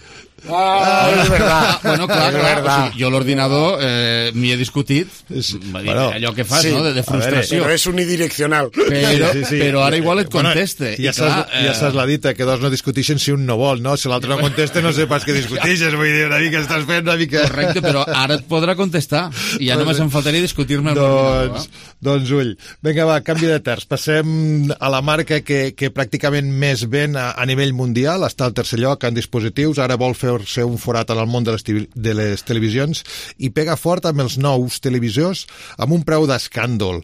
Ah, es verdad. Ah, bueno, clar, és clar, verdad. o sigui, jo l'ordinador eh, m'hi he discutit, sí, va dir, bueno, allò que fas, sí, no?, de, de frustració. Però és unidireccional. Però, sí, sí. però ara igual et conteste. Bueno, ja, I clar, saps, ja saps la dita, que dos no discutixen si un no vol, no? Si l'altre no contesta, no sé pas què discutixes, vull dir, una mica estàs fent una mica... Correcte, però ara et podrà contestar, i ja només em faltaria discutir-me amb l'ordinador. Doncs, doncs ull. Vinga, va, canvi de terç. Passem a la marca que, que pràcticament més ven a, a nivell mundial, està al tercer lloc en dispositius, ara vol fer-se un forat en el món de les, de les televisions i pega fort amb els nous televisors amb un preu d'escàndol.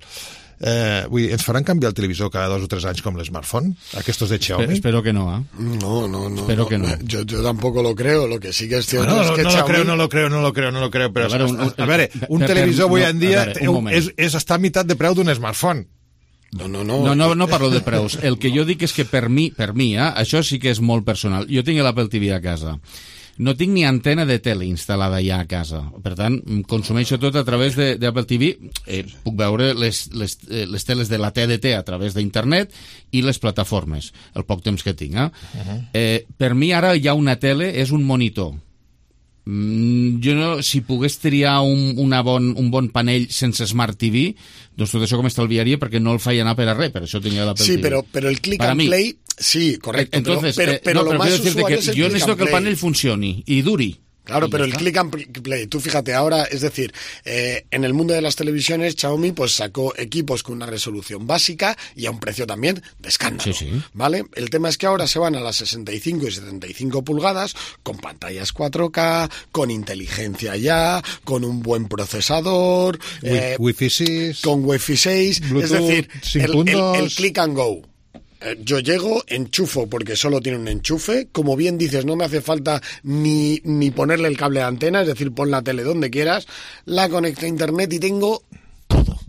Eh, vull dir, ens faran canviar el televisor cada dos o tres anys com l'smartphone? Aquestos de Xiaomi? Espero, espero que no, ¿eh? No, no, no. Espero no. que no. Yo, yo tampoco lo creo, lo que sí que es cierto bueno, es no, que no Xiaomi... lo creo, no lo creo, no lo creo, no lo creo, però... A veure, un, un, a veure, un per, televisor avui no, en dia veure, és, és estar a meitat de preu d'un smartphone. No, no, no. No, no, no parlo de preus. El que jo dic és que per mi, per mi, eh, això sí que és molt personal. Jo tinc l'Apple T V a casa. No tinc ni antena de tele instal·lada ja a casa. Per tant, consumeixo tot a través d'Apple T V. Eh, puc veure les, les, les teles de la T D T a través d'internet i les plataformes, el poc temps que tinc. Eh? Uh-huh. Eh, per mi ara hi ha una tele, és un monitor. Mm, jo no, si pogués triar un, una bon, un bon panell sense Smart T V, doncs tot això com estalviaria perquè no el feia anar per a res, per això tenia l'Apple Sí, T V. pero, pero el click Para and mí, play, sí, correcto. Entonces, pero, pero, eh, pero no, lo pero más quiero decirte usual que es el yo click necesito and que el play. panel funcione y duri. Claro, Y pero ya el está. click and play, tú fíjate, ahora, es decir, eh, en el mundo de las televisiones, Xiaomi pues sacó equipos con una resolución básica y a un precio también de escándalo, Sí, sí. ¿vale? El tema es que ahora se van a las sesenta y cinco y setenta y cinco pulgadas, con pantallas cuatro K, con inteligencia ya, con un buen procesador, eh, Wi-Fi seis, con Wi-Fi seis, Bluetooth es decir, sin el, el, puntos. el click and go. Yo llego, enchufo porque solo tiene un enchufe, como bien dices, no me hace falta ni, ni ponerle el cable de antena, es decir, pon la tele donde quieras, la conecto a internet y tengo todo.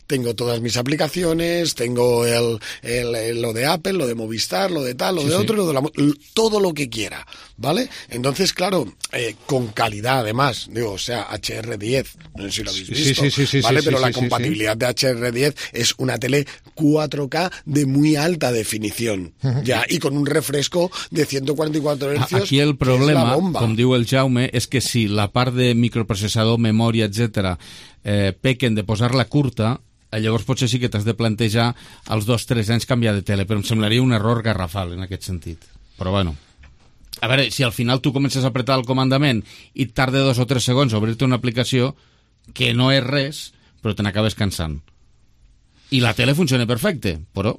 Tengo todas mis aplicaciones, tengo el, el, el- lo de Apple, lo de Movistar, lo de tal, lo Sí, de sí. otro, lo de la, mo- todo lo que quiera, ¿vale? Entonces, claro, eh, con calidad además, digo, o sea, H R diez, no sé si lo habéis Sí, visto, sí, sí, sí, ¿vale? sí, Pero sí, la sí, sí, compatibilidad de H R diez es una tele cuatro K de muy alta definición, ya, y con un refresco de ciento cuarenta y cuatro hercios. Aquí el que es la problema, bomba. com diu el Jaume, és que si la part de microprocessador, memòria, etcètera, eh, pequen de posar-la curta, eh, llavors potser sí que t'has de plantejar als dos o tres anys canviar de tele, però em semblaria un error garrafal en aquest sentit. Però bueno, a veure, si al final tu comences a apretar el comandament i et tarda dos o tres segons a obrir-te una aplicació que no és res, però te n'acabes cansant. I la tele funciona perfecte, però...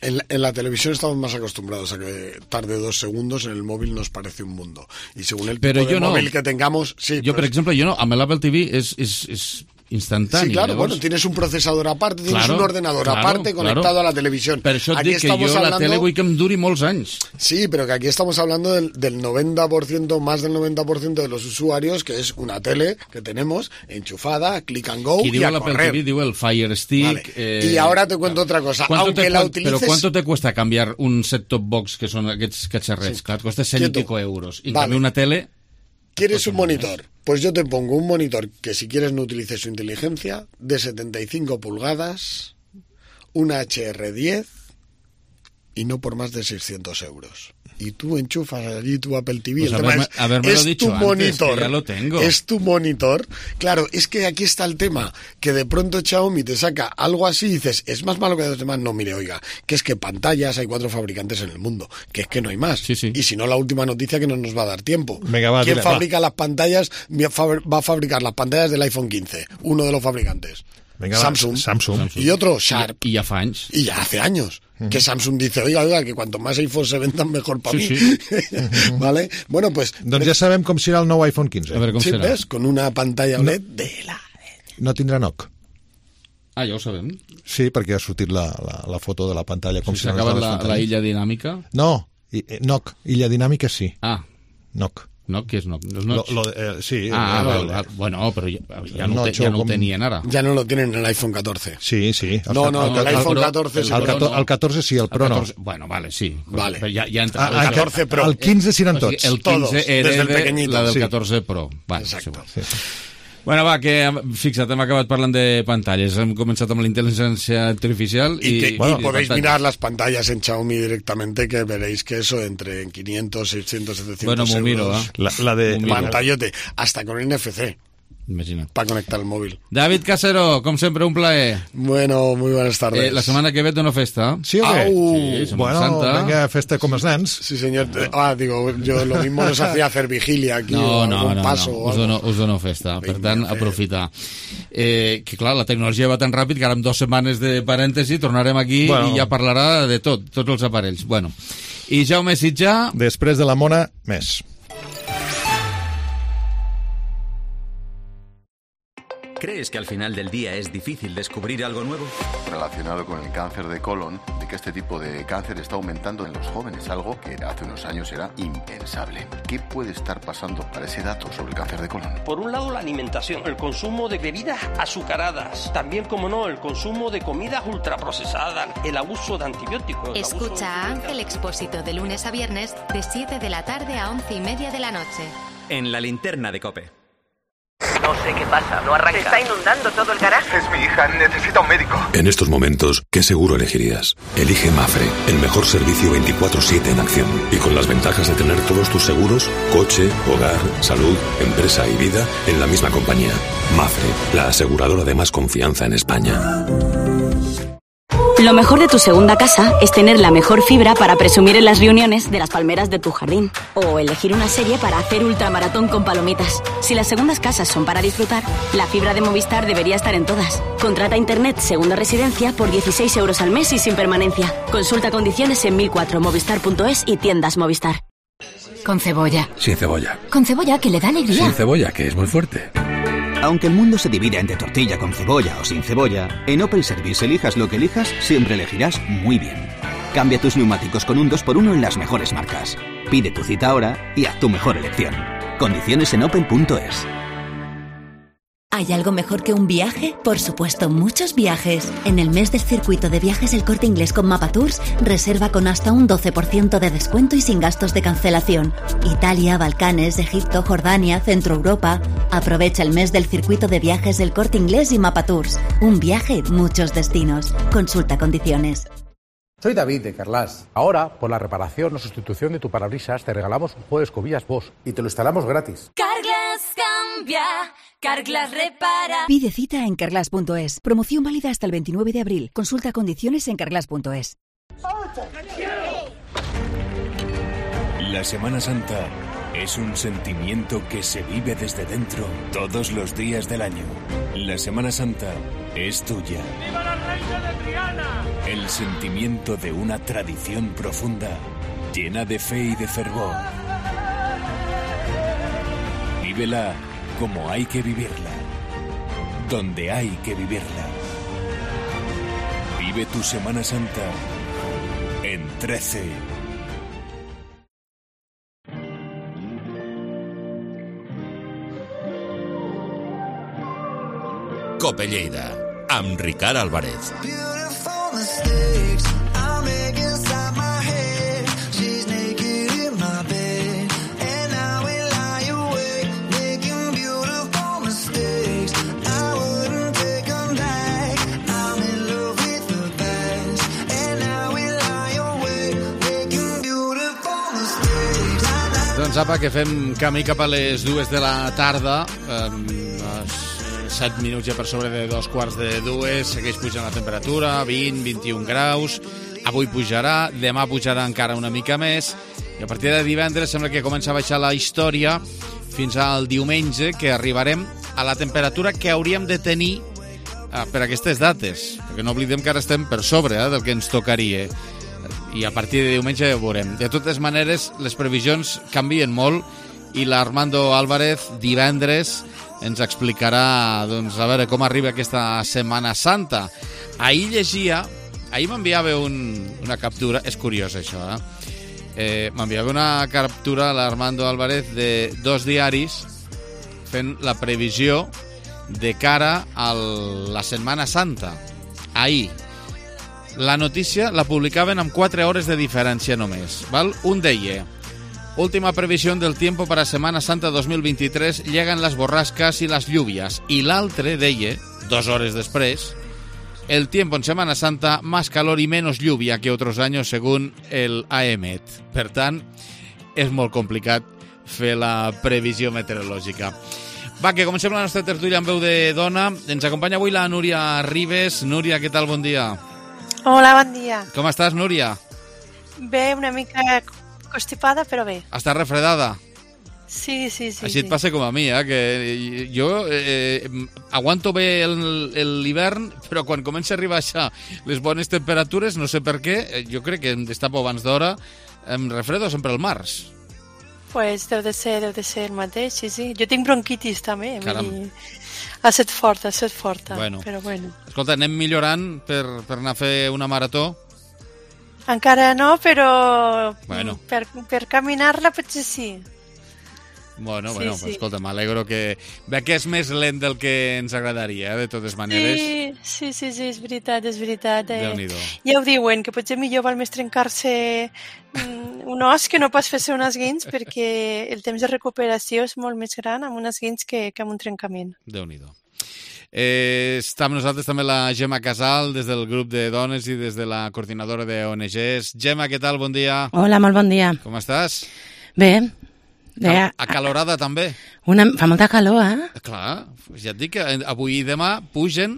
En la, en la televisión estamos más acostumbrados a que tarde dos segundos, en el móvil nos parece un mundo. Y según el Pero tipo de yo no. móvil que tengamos, sí. Jo, per pues- exemple, jo no, amb l'Apple T V és, és, és instantani. Sí, claro, llavors... bueno, tienes un procesador aparte, tienes Claro, un ordenador claro, aparte conectado claro. a la televisión. Per això et Aquí dic que estamos jo la hablando- tele vull que em duri molts anys. Sí, pero que aquí estamos hablando del, del noventa por ciento, más del noventa por ciento de los usuarios, que es una tele que tenemos enchufada, click and go Qui y diu a l'Apple correr. T V diu el Fire Stick... Vale. Eh, Y ahora te cuento otra cosa. ¿cuánto Aunque te, la cuan- utilices... Pero ¿cuánto te cuesta cambiar un set-top box, que son aquests cacharrets? Sí. Clar, et costa cent i Quieto. pico euros. I en Vale. canvi una tele... ¿Quieres un monitor? Pues yo te pongo un monitor que si quieres no utilice su inteligencia, de setenta y cinco pulgadas, una H R diez y no por más de seiscientos euros. Y tú enchufas allí tu Apple T V. Pues el tema haberme- es, habérmelo es dicho tu antes, monitor. que ya lo tengo. Es tu monitor. Claro, es que aquí está el tema, que de pronto Xiaomi te saca algo así y dices, es más malo que los demás. No, mire, oiga, que es que pantallas hay cuatro fabricantes en el mundo, que es que no hay más. Y si no, la última noticia que no nos va a dar tiempo. Venga, va, ¿Quién dile, va. fabrica las pantallas? Va a fabricar las pantallas del iPhone quince, uno de los fabricantes. Venga, va, Samsung. Samsung. Y otro, Sharp. Y ya fa anys. Y ya hace años. Que Samsung dice, oiga, oiga, que cuanto más iPhone se vendan, mejor para Sí, mí. sí. ¿Vale? Bueno, pues... Doncs ja sabem com serà el nou iPhone quinze. sí, ¿ves? Con una pantalla O L E D No. de la... No tindrà N O C. Ah, ja ho sabem. Sí, perquè ha sortit la, la, la foto de la pantalla. Com Si seran s'ha acabat les la, pantalles. la illa dinàmica... No, i- eh, N O C. Illa dinàmica sí. Ah. N O C. No? Què és Notch? No és Notch? Lo, lo, eh, sí. Ah, el, el, el, bueno, però ja, ja, no, Notch, te, ja no com... ho tenien ara. Ya no lo tienen en el iPhone catorce. Sí, sí. No, no, el, el, el iPhone Pro, catorce sí. El, el, el catorze sí, el Pro el catorze, no. Bueno, vale, sí. Vale. Ja, ja entra, Ah, el catorze Pro. El quinze sí eren tots. O sigui, el quinze Todos, era desde el de pequeñito. la del Sí. catorze Pro. Vale, Exacto. sí. Bueno, va, que fixa't, hem acabat parlant de pantalles. Hem començat amb la intel·ligència artificial y, i, que, i, bueno, i podéis pantalles. mirar las pantallas en Xiaomi directamente, que veréis que eso entre en quinientos, seiscientos, setecientos Bueno, m'ho miro, euros. eh? La, la de... M'ho miro. Pantallote, hasta con N F C. Imagina't. Para conectar el móvil. David Casero, com sempre, un plaer. Bueno, muy buenas tardes. Eh, la setmana que ve té una festa. Sí o què? Au. Sí, Setmana Bueno, Santa. venga, festa com els nens. Sí, señor. Ah, digo, yo lo mismo nos hacía hacer vigilia aquí No, o no, algún no, paso. no. o Us, algo. dono, us dono festa. Per Vinga, tant, fer. aprofitar. Eh, que clar, la tecnologia va tan ràpid que ara en dues setmanes de parèntesi tornarem aquí Bueno. i ja parlarà de tot, tots els aparells. Bueno, i Jaume Sitjà... Després de la mona, més. ¿Crees que al final del día es difícil descubrir algo nuevo? Relacionado con el cáncer de colon, de que este tipo de cáncer está aumentando en los jóvenes, algo que hace unos años era impensable. ¿Qué puede estar pasando para ese dato sobre el cáncer de colon? Por un lado, la alimentación, el consumo de bebidas azucaradas, también, como no, el consumo de comidas ultraprocesadas, el abuso de antibióticos. el abuso Escucha a Ángel Expósito de lunes a viernes de siete de la tarde a once y media de la noche. En la linterna de COPE. No sé qué pasa, no arranca. Se está inundando todo el garaje. Es mi hija, necesita un médico. En estos momentos, ¿qué seguro elegirías? Elige Mafre, el mejor servicio veinticuatro siete en acción. Y con las ventajas de tener todos tus seguros, coche, hogar, salud, empresa y vida, en la misma compañía. Mafre, la aseguradora de más confianza en España. Lo mejor de tu segunda casa es tener la mejor fibra para presumir en las reuniones de las palmeras de tu jardín. O elegir una serie para hacer ultramaratón con palomitas. Si las segundas casas son para disfrutar, la fibra de Movistar debería estar en todas. Contrata Internet Segunda Residencia por dieciséis euros al mes y sin permanencia. Consulta condiciones en mil cuatro movistar punto es y tiendas Movistar. Con cebolla. Sin cebolla. Con cebolla, que le da alegría. Sin cebolla, que es muy fuerte. Aunque el mundo se divida entre tortilla con cebolla o sin cebolla, en Opel Service elijas lo que elijas, siempre elegirás muy bien. Cambia tus neumáticos con un dos por uno en las mejores marcas. Pide tu cita ahora y haz tu mejor elección. Condiciones en opel punto es. ¿Hay algo mejor que un viaje? Por supuesto, muchos viajes. En el mes del circuito de viajes El Corte Inglés con Mapatours, reserva con hasta un doce por ciento de descuento y sin gastos de cancelación. Italia, Balcanes, Egipto, Jordania, Centro Europa. Aprovecha el mes del circuito de viajes El Corte Inglés y Mapatours. Un viaje, muchos destinos. Consulta condiciones. Soy David de Carlas. Ahora, por la reparación o sustitución de tu parabrisas, te regalamos un juego de escobillas Bosch y te lo instalamos gratis. Carglass cambia, Carglass repara. Pide cita en carglass punto es. Promoción válida hasta el veintinueve de abril. Consulta condiciones en carglass punto es. La Semana Santa es un sentimiento que se vive desde dentro todos los días del año. La Semana Santa es tuya. ¡Viva la reina de Triana! El sentimiento de una tradición profunda, llena de fe y de fervor. Vívela como hay que vivirla, donde hay que vivirla. Vive tu Semana Santa en trece. Cope Lleida, amb Ricard Álvarez. Doncs apa, que fem camí cap a les dues de la tarda, set minuts ja per sobre de dos quarts de dues, segueix pujant la temperatura, vint, vint-i-un graus, avui pujarà, demà pujarà encara una mica més, i a partir de divendres sembla que comença a baixar la història fins al diumenge, que arribarem a la temperatura que hauríem de tenir eh, per aquestes dates, perquè no oblidem que ara estem per sobre eh, del que ens tocaria, i a partir de diumenge ja ho veurem. De totes maneres, les previsions canvien molt, i l'Armando Álvarez divendres ens explicarà, doncs, a veure com arriba aquesta Setmana Santa. Ahir llegia, ahir m'enviava un, una captura, és curiós això, eh? Eh, M'enviava una captura l'Armando Álvarez de dos diaris fent la previsió de cara a la Setmana Santa. Ahir. La notícia la publicaven amb quatre hores de diferència només. Val? Un deia: última previsión del tiempo para Semana Santa dos mil veintitrés, llegan las borrascas y las lluvias. I l'altre deia, dos hores després: el tiempo en Semana Santa, más calor y menos lluvia que otros años según el A E M E T. Per tant, és molt complicat fer la previsió meteorològica. Va, que comencem la nostra tertúlia amb veu de dona. Ens acompanya avui la Núria Ribes. Núria, què tal? Bon dia. Hola, bon dia. Com estàs, Núria? Bé, una mica constipada, però bé. Estàs refredada? Sí, sí, sí. Així sí. et passa com a mi, eh? Que jo eh, aguanto bé l'hivern, però quan comença a arribar això les bones temperatures, no sé per què, jo crec que em destapo abans d'hora, em refredo sempre al març. Pues deu de ser, deu de ser el mateix, sí, sí. Jo tinc bronquitis també, Caram. vull dir, ha set forta, ha set forta, Bueno. però bueno. Escolta, anem millorant per, per anar a fer una marató? Encara no, però Bueno. per, per caminar-la potser sí. Bueno, Sí, bueno, sí. pues, escolta, m'alegro que... Ve que és més lent del que ens agradaria, eh, de totes maneres. Sí, sí, sí, sí, és veritat, és veritat. Eh? Déu-n'hi-do. Ja ho diuen, que potser millor val més trencar-se mm, un os que no pas fer-se un esguins, perquè el temps de recuperació és molt més gran amb un esguins que, que amb un trencament. Déu-n'hi-do. Eh, està amb nosaltres també la Gemma Casal, des del grup de dones i des de la coordinadora d'O N Gs. Gemma, què tal? Bon dia. Hola, molt bon dia. Com estàs? Bé. Bé, Cal acalorada també? Una, fa molta calor, eh? Clar, ja et dic que avui i demà pugen,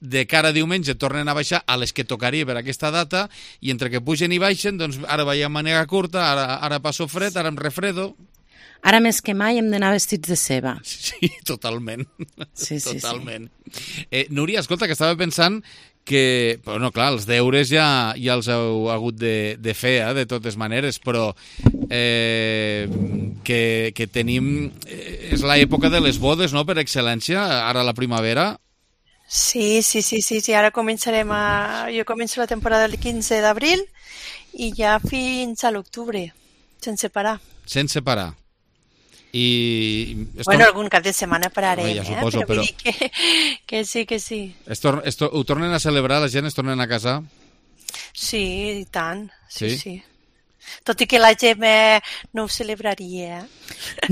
de cara a diumenge tornen a baixar a les que tocaria per aquesta data, i entre que pugen i baixen, doncs ara veiem màniga curta, ara, ara passo fred, ara em refredo. Ara més que mai hem d'anar vestits de ceba. Sí, totalment. Sí, sí, totalment. Sí. Eh, Núria, escolta, que estava pensant que, bueno, clar, els deures ja, ja els heu hagut de, de fer, eh, de totes maneres, però eh, que, que tenim... Eh, és l'època de les bodes, no?, per excel·lència, ara a la primavera. Sí, sí, sí, sí, sí. Ara començarem a... Jo començo la temporada el quinze d'abril i ja fins a l'octubre, sense parar. Sense parar. I... Bueno, tor... algun cap de setmana pararem, ja suposo, eh? Però, però... vull dir que, que sí, que sí. Es tor es tor ho tornen a celebrar? La gent es tornen a casar? Sí, i tant. Sí, sí. sí. Tot i que la Gemma no ho celebraria.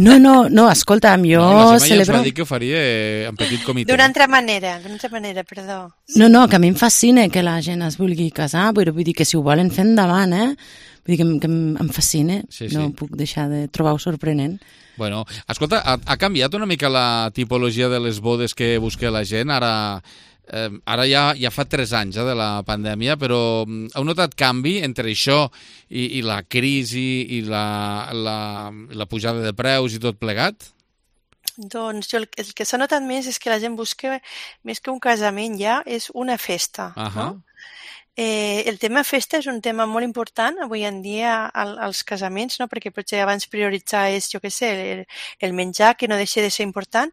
No, no, no, escolta'm, jo no, la Gemma celebro... ja ens va dir que ho faria en petit comitè. D'una altra manera, d'una altra manera, perdó. No, no, que a mi em fascina que la gent es vulgui casar, però vull dir que si ho volen fer endavant, eh? Vull dir que, em, que em fascina, sí, sí. No puc deixar de trobar-ho sorprenent. Bueno, escolta, ha, ha canviat una mica la tipologia de les bodes que busca la gent? Ara, eh, ara ja, ja fa tres anys eh, de la pandèmia, però heu notat canvi entre això i, i la crisi i la, la, la pujada de preus i tot plegat? Doncs jo el, el que s'ha notat més és que la gent busca, més que un casament ja, és una festa. Uh -huh. No? Eh, el tema festa és un tema molt important avui en dia al, als casaments, no? Perquè potser abans prioritzar és, jo què sé, el, el menjar, que no deixa de ser important,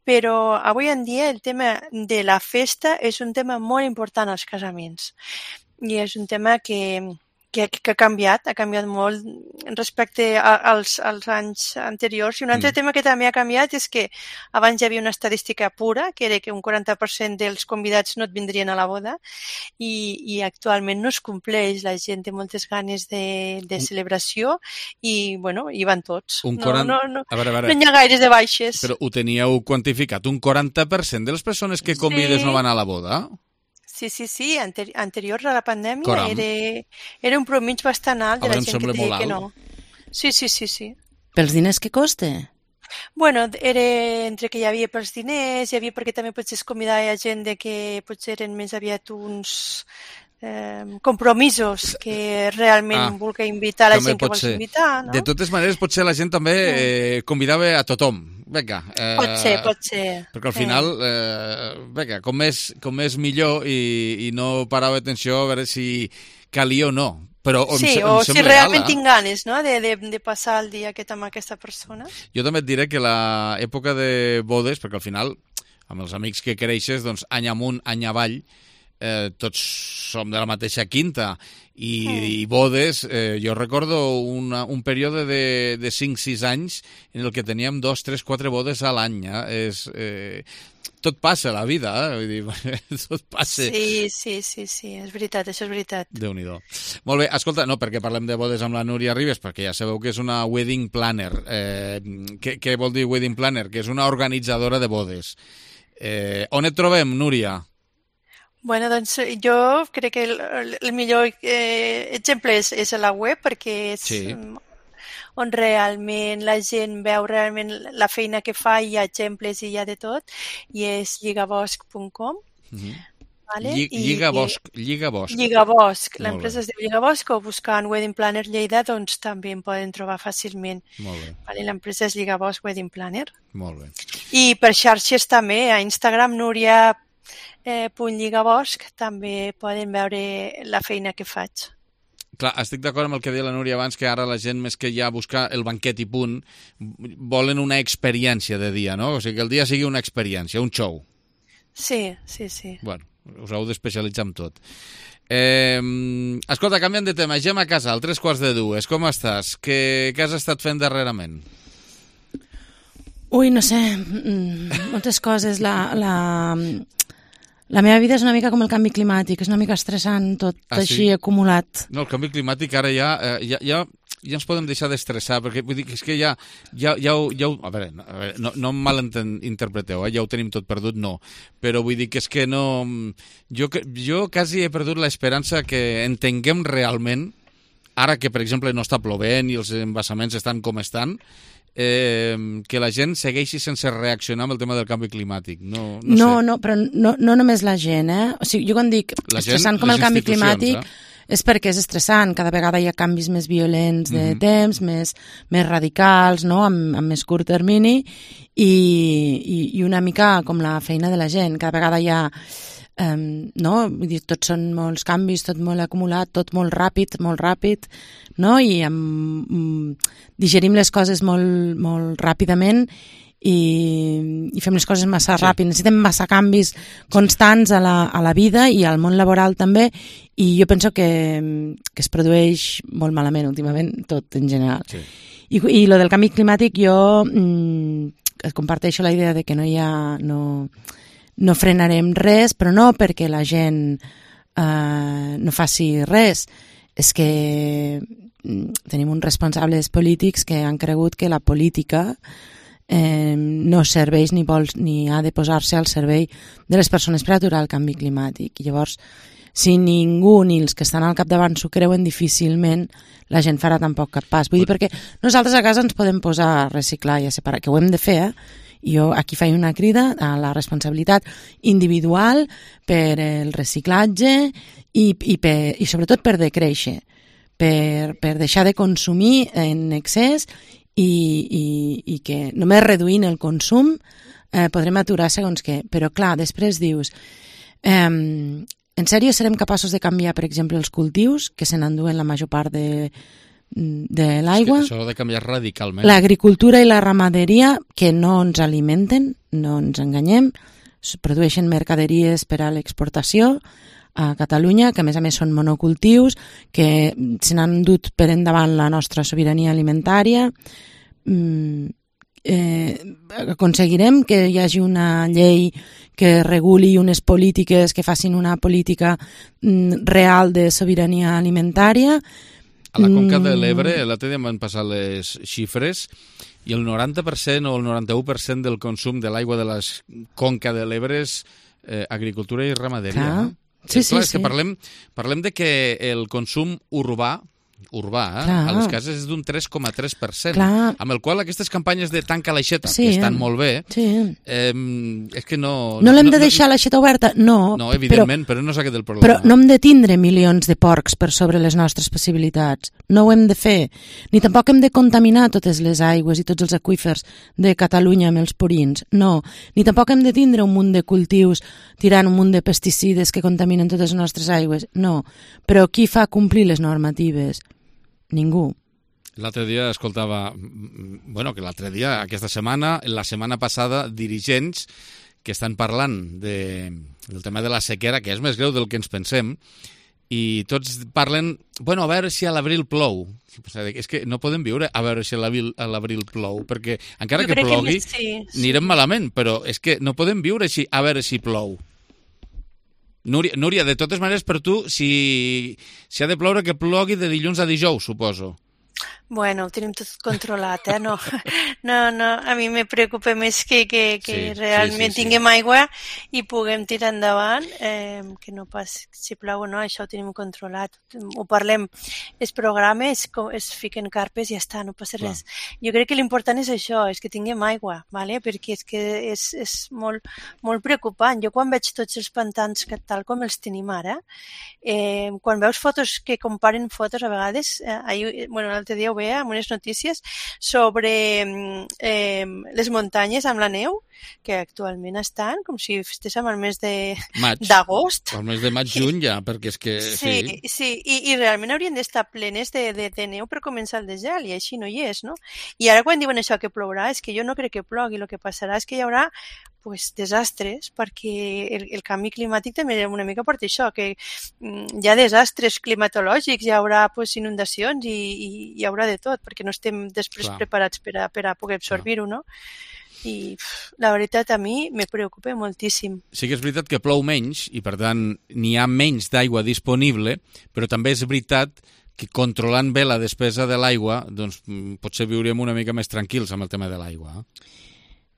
però avui en dia el tema de la festa és un tema molt important als casaments i és un tema que, que, que ha canviat, ha canviat molt respecte a, als, als anys anteriors. I un altre mm. tema que també ha canviat és que abans hi havia una estadística pura, que era que un quaranta per cent dels convidats no et vindrien a la boda, i, i actualment no es compleix. La gent té moltes ganes de, de celebració i, bueno, hi van tots. Un quaranta... no, no, no, a veure, a veure. no hi ha gaires de baixes. Però ho teníeu quantificat, un quaranta per cent de les persones que convides sí. no van a la boda? Sí, sí, sí. Anteri anterior a la pandèmia era, era un promig bastant alt de la gent que deia que no. Sí, sí, sí, sí. Pels diners que costa? Bueno, era entre que hi havia pels diners, hi havia perquè també potser es convidava gent de que potser eren més aviat uns eh, compromisos que realment ah, vulgui invitar la gent que vols invitar. No? De totes maneres, potser la gent també eh, convidava a tothom. Vinga, eh, pot ser, pot ser. Perquè al final, eh, vinga, com més, com més millor i, i no parava atenció a veure si calia o no. Però sí, em, o em si realment tinc ganes, no?, de, de, de passar el dia aquest amb aquesta persona. Jo també et diré que l'època de bodes, perquè al final, amb els amics que creixes, doncs any amunt, any avall, eh, tots som de la mateixa quinta, i, mm. i bodes, eh, jo recordo una, un període de, de cinc sis anys en el que teníem dos, tres, quatre bodes a l'any. Eh? És, eh, tot passa a la vida, eh? Vull dir, tot passa. Sí, sí, sí, sí, és veritat, això és veritat. Déu-n'hi-do. Molt bé, escolta, no, perquè parlem de bodes amb la Núria Ribes, perquè ja sabeu que és una wedding planner. Eh, què, què vol dir wedding planner? Que és una organitzadora de bodes. Eh, on et trobem, Núria? Bueno, doncs jo crec que el, el millor eh, exemple és, és a la web, perquè és sí. on realment la gent veu realment la feina que fa, hi ha exemples i hi ha de tot, i és lligabosc punt com. Mm-hmm. Vale? Llig, Lligabosc, Lligabosc. Lligabosc, l'empresa es diu Lligabosc, o buscant Wedding Planner Lleida, doncs també en poden trobar fàcilment. Molt bé. Vale? L'empresa és Lligabosc Wedding Planner. Molt bé. I per xarxes també, a Instagram, Núria eh, punt Lligabosc, també poden veure la feina que faig. Clar, estic d'acord amb el que deia la Núria abans, que ara la gent, més que ja buscar el banquet i punt, volen una experiència de dia, no? O sigui, que el dia sigui una experiència, un show. Sí, sí, sí. Bueno, us heu d'especialitzar en tot. Eh, escolta, canviant de tema, Gemma Casal, tres quarts de dues, com estàs? Què, què has estat fent darrerament? Ui, no sé, moltes coses. La, la, la meva vida és una mica com el canvi climàtic, és una mica estressant tot ah, així sí? acumulat. No, el canvi climàtic ara ja, eh, ja, ja, ja ens podem deixar d'estressar, perquè vull dir que és que ja, ja, ja, ja a veure, no, no em malinterpreteu, eh, ja ho tenim tot perdut, no, però vull dir que és que no, jo, jo quasi he perdut l'esperança que entenguem realment, ara que per exemple no està plovent i els embassaments estan com estan, Eh, que la gent segueixi sense reaccionar amb el tema del canvi climàtic. No, no, no, sé. no però no, no només la gent, eh? O sigui, jo quan dic la estressant gent, com el canvi climàtic eh? és perquè és estressant, cada vegada hi ha canvis més violents de mm-hmm. temps, més, més radicals, no? amb, amb més curt termini, i, i, i una mica com la feina de la gent, cada vegada hi ha Um, no? Vull dir, tots són molts canvis, tot molt acumulat, tot molt ràpid, molt ràpid, no? I um, um, digerim les coses molt, molt ràpidament i, i fem les coses massa sí. ràpid. Necessitem massa canvis constants a la, a la vida i al món laboral també, i jo penso que, que es produeix molt malament últimament tot en general. Sí. I, i lo del canvi climàtic, jo mm, comparteixo la idea de que no hi ha... No, no frenarem res, però no perquè la gent eh, no faci res. És que tenim uns responsables polítics que han cregut que la política eh, no serveix ni, vol, ni ha de posar-se al servei de les persones per aturar el canvi climàtic. I llavors, si ningú ni els que estan al capdavant s'ho creuen, difícilment la gent farà tampoc cap pas. Vull dir, perquè nosaltres a casa ens podem posar a reciclar i a separar, que ho hem de fer, eh? Jo aquí faig una crida a la responsabilitat individual per el reciclatge i, i, per, i sobretot per decréixer, per, per deixar de consumir en excés i, i, i que només reduint el consum eh, podrem aturar segons què. Però clar, després dius, eh, en sèrio serem capaços de canviar, per exemple, els cultius que se n'enduen la major part de de l'aigua, això ha de canviar radicalment. L'agricultura i la ramaderia, que no ens alimenten, no ens enganyem, produeixen mercaderies per a l'exportació a Catalunya, que a més a més són monocultius, que se n'han dut per endavant la nostra sobirania alimentària. Mm, eh, aconseguirem que hi hagi una llei que reguli unes polítiques, que facin una política mm, real de sobirania alimentària. A la Conca de l'Ebre, l'altre dia m'han passat les xifres, i el noranta per cent o el noranta-u per cent del consum de l'aigua de la Conca de l'Ebre és eh, agricultura i ramaderia. Clar. No? Sí, és clar, sí, és que sí. parlem, parlem de que el consum urbà, urbà eh, a les cases és d'un tres coma tres per cent, Clar. amb el qual aquestes campanyes de tanca l'aixeta, sí, que estan molt bé, sí. eh, és que no... No l'hem no, de deixar no, l'aixeta oberta? No. No, evidentment, però, però no és aquest el problema. Però no hem de tindre milions de porcs per sobre les nostres possibilitats. No ho hem de fer. Ni tampoc hem de contaminar totes les aigües i tots els aqüífers de Catalunya amb els purins. No. Ni tampoc hem de tindre un munt de cultius tirant un munt de pesticides que contaminen totes les nostres aigües. No. Però qui fa complir les normatives? Ningú. L'altre dia escoltava, bueno, que l'altre dia, aquesta setmana, la setmana passada, dirigents que estan parlant de, del tema de la sequera, que és més greu del que ens pensem, i tots parlen, bueno, a veure si a l'abril plou. És que no podem viure a veure si a l'abril plou, perquè encara que plogui, que sí, sí. anirem malament, però és que no podem viure així, a veure si plou. Núria, Núria, de totes maneres, per tu, si, si ha de ploure, que plogui de dilluns a dijous, suposo. Bueno, ho tenim tot controlat, eh? No, no, no. A mi me preocupa més que, que, que sí, realment sí, sí, tinguem sí. aigua i puguem tirar endavant, eh, que no pas si plau o no, això ho tenim controlat. Ho parlem, es programa, es, es fiquen carpes i ja està, no passa res. Clar. Jo crec que l'important és això, és que tinguem aigua, ¿vale? Perquè és que és, és molt, molt preocupant. Jo quan veig tots els pantans que, tal com els tenim ara, eh, quan veus fotos que comparen fotos a vegades, eh, ahir, bueno, l'altre dia ho veia amb unes notícies sobre eh, les muntanyes amb la neu, que actualment estan com si estéssim al mes d'agost. Al mes de maig-juny ja, perquè és que... Sí, sí, sí. I, i realment haurien d'estar plenes de, de, de neu per començar el desgel, i així no hi és, no? I ara quan diuen això que plourà, és que jo no crec que plogui, el que passarà és que hi haurà pues, desastres, perquè el, el canvi climàtic també una mica porta això, que mm, hi ha desastres climatològics, hi haurà pues, inundacions i, i hi haurà de tot, perquè no estem després Clar. preparats per a, per a poder absorbir-ho, no? I pff, la veritat a mi me preocupa moltíssim. Sí que és veritat que plou menys i per tant n'hi ha menys d'aigua disponible, però també és veritat que controlant bé la despesa de l'aigua doncs potser viurem una mica més tranquils amb el tema de l'aigua.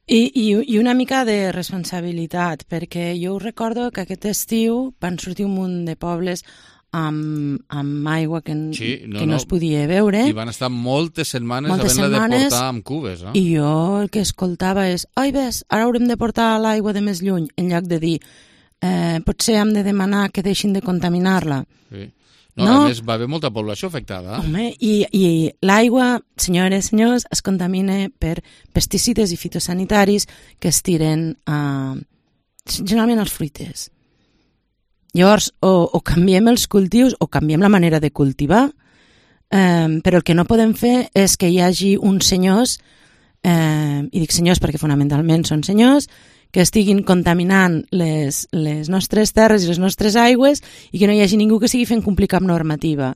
I, i, I una mica de responsabilitat, perquè jo recordo que aquest estiu van sortir un munt de pobles amb, amb aigua que, sí, no, que no, no es podia beure. I van estar moltes setmanes havent-la de portar amb cubes. Eh? I jo el que escoltava és ai, ves, ara haurem de portar l'aigua de més lluny, en lloc de dir eh, potser hem de demanar que deixin de contaminar-la. Sí. No, no, a més, va haver molta població afectada. Home, i, i l'aigua, senyores i senyors, es contamina per pesticides i fitosanitaris que es tiren a, generalment als fruiters. Llavors, o, o canviem els cultius o canviem la manera de cultivar, eh, però el que no podem fer és que hi hagi uns senyors, eh, i dic senyors perquè fonamentalment són senyors, que estiguin contaminant les, les nostres terres i les nostres aigües i que no hi hagi ningú que sigui fent complir cap normativa.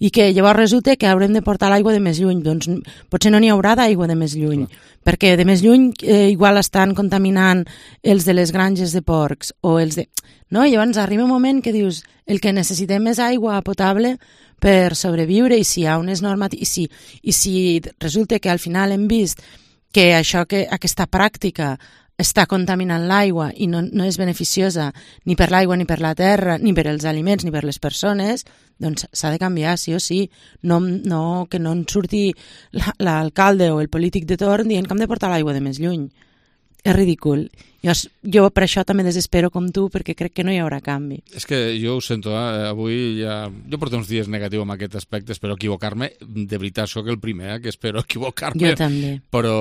I que llavors resulta que haurem de portar l'aigua de més lluny. Doncs potser no n'hi haurà d'aigua de més lluny, sí. perquè de més lluny eh, igual estan contaminant els de les granges de porcs o els de... No? I llavors arriba un moment que dius el que necessitem és aigua potable per sobreviure, i si hi ha unes normatives, i si, i si resulta que al final hem vist que això, que aquesta pràctica està contaminant l'aigua i no, no és beneficiosa ni per l'aigua, ni per la terra, ni per els aliments, ni per les persones, doncs s'ha de canviar, sí o sí. No, no, que no en surti l'alcalde o el polític de torn dient que hem de portar l'aigua de més lluny. És ridícul. Jo, jo per això també desespero com tu, perquè crec que no hi haurà canvi. És que jo ho sento, eh? Avui ja... Jo porto uns dies negatius en aquest aspecte, espero equivocar-me. De veritat, sóc el primer, eh? que espero equivocar-me. Jo també. Però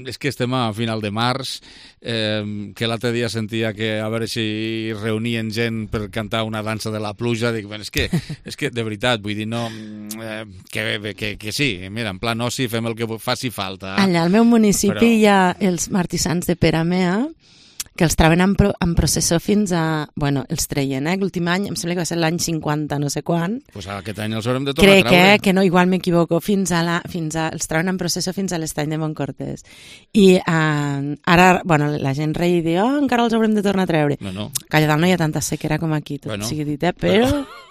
és que estem a final de març, eh, que l'altre dia sentia que a veure si reunien gent per cantar una dansa de la pluja. Dic, bueno, és que, és que de veritat, vull dir, no... Eh, que, que, que sí, mira, en plan oci fem el que faci falta. Allà al meu municipi però... hi ha els martissans de Peramea, que els trauen en, pro, en processó fins a... Bueno, els treien, eh? L'últim any, em sembla que va ser l'any cinquanta, no sé quan. Doncs pues aquest any els haurem de tornar Crec a treure. Crec que no, igual m'equivoco, fins a la... Fins a, els trauen en processó fins a l'estany de Montcortés. I eh, ara, bueno, la gent rei diu, oh, encara els haurem de tornar a treure. No, no. Que allà dalt no hi ha tanta sequera com aquí, tot bueno, sigui dit, eh? Però... però...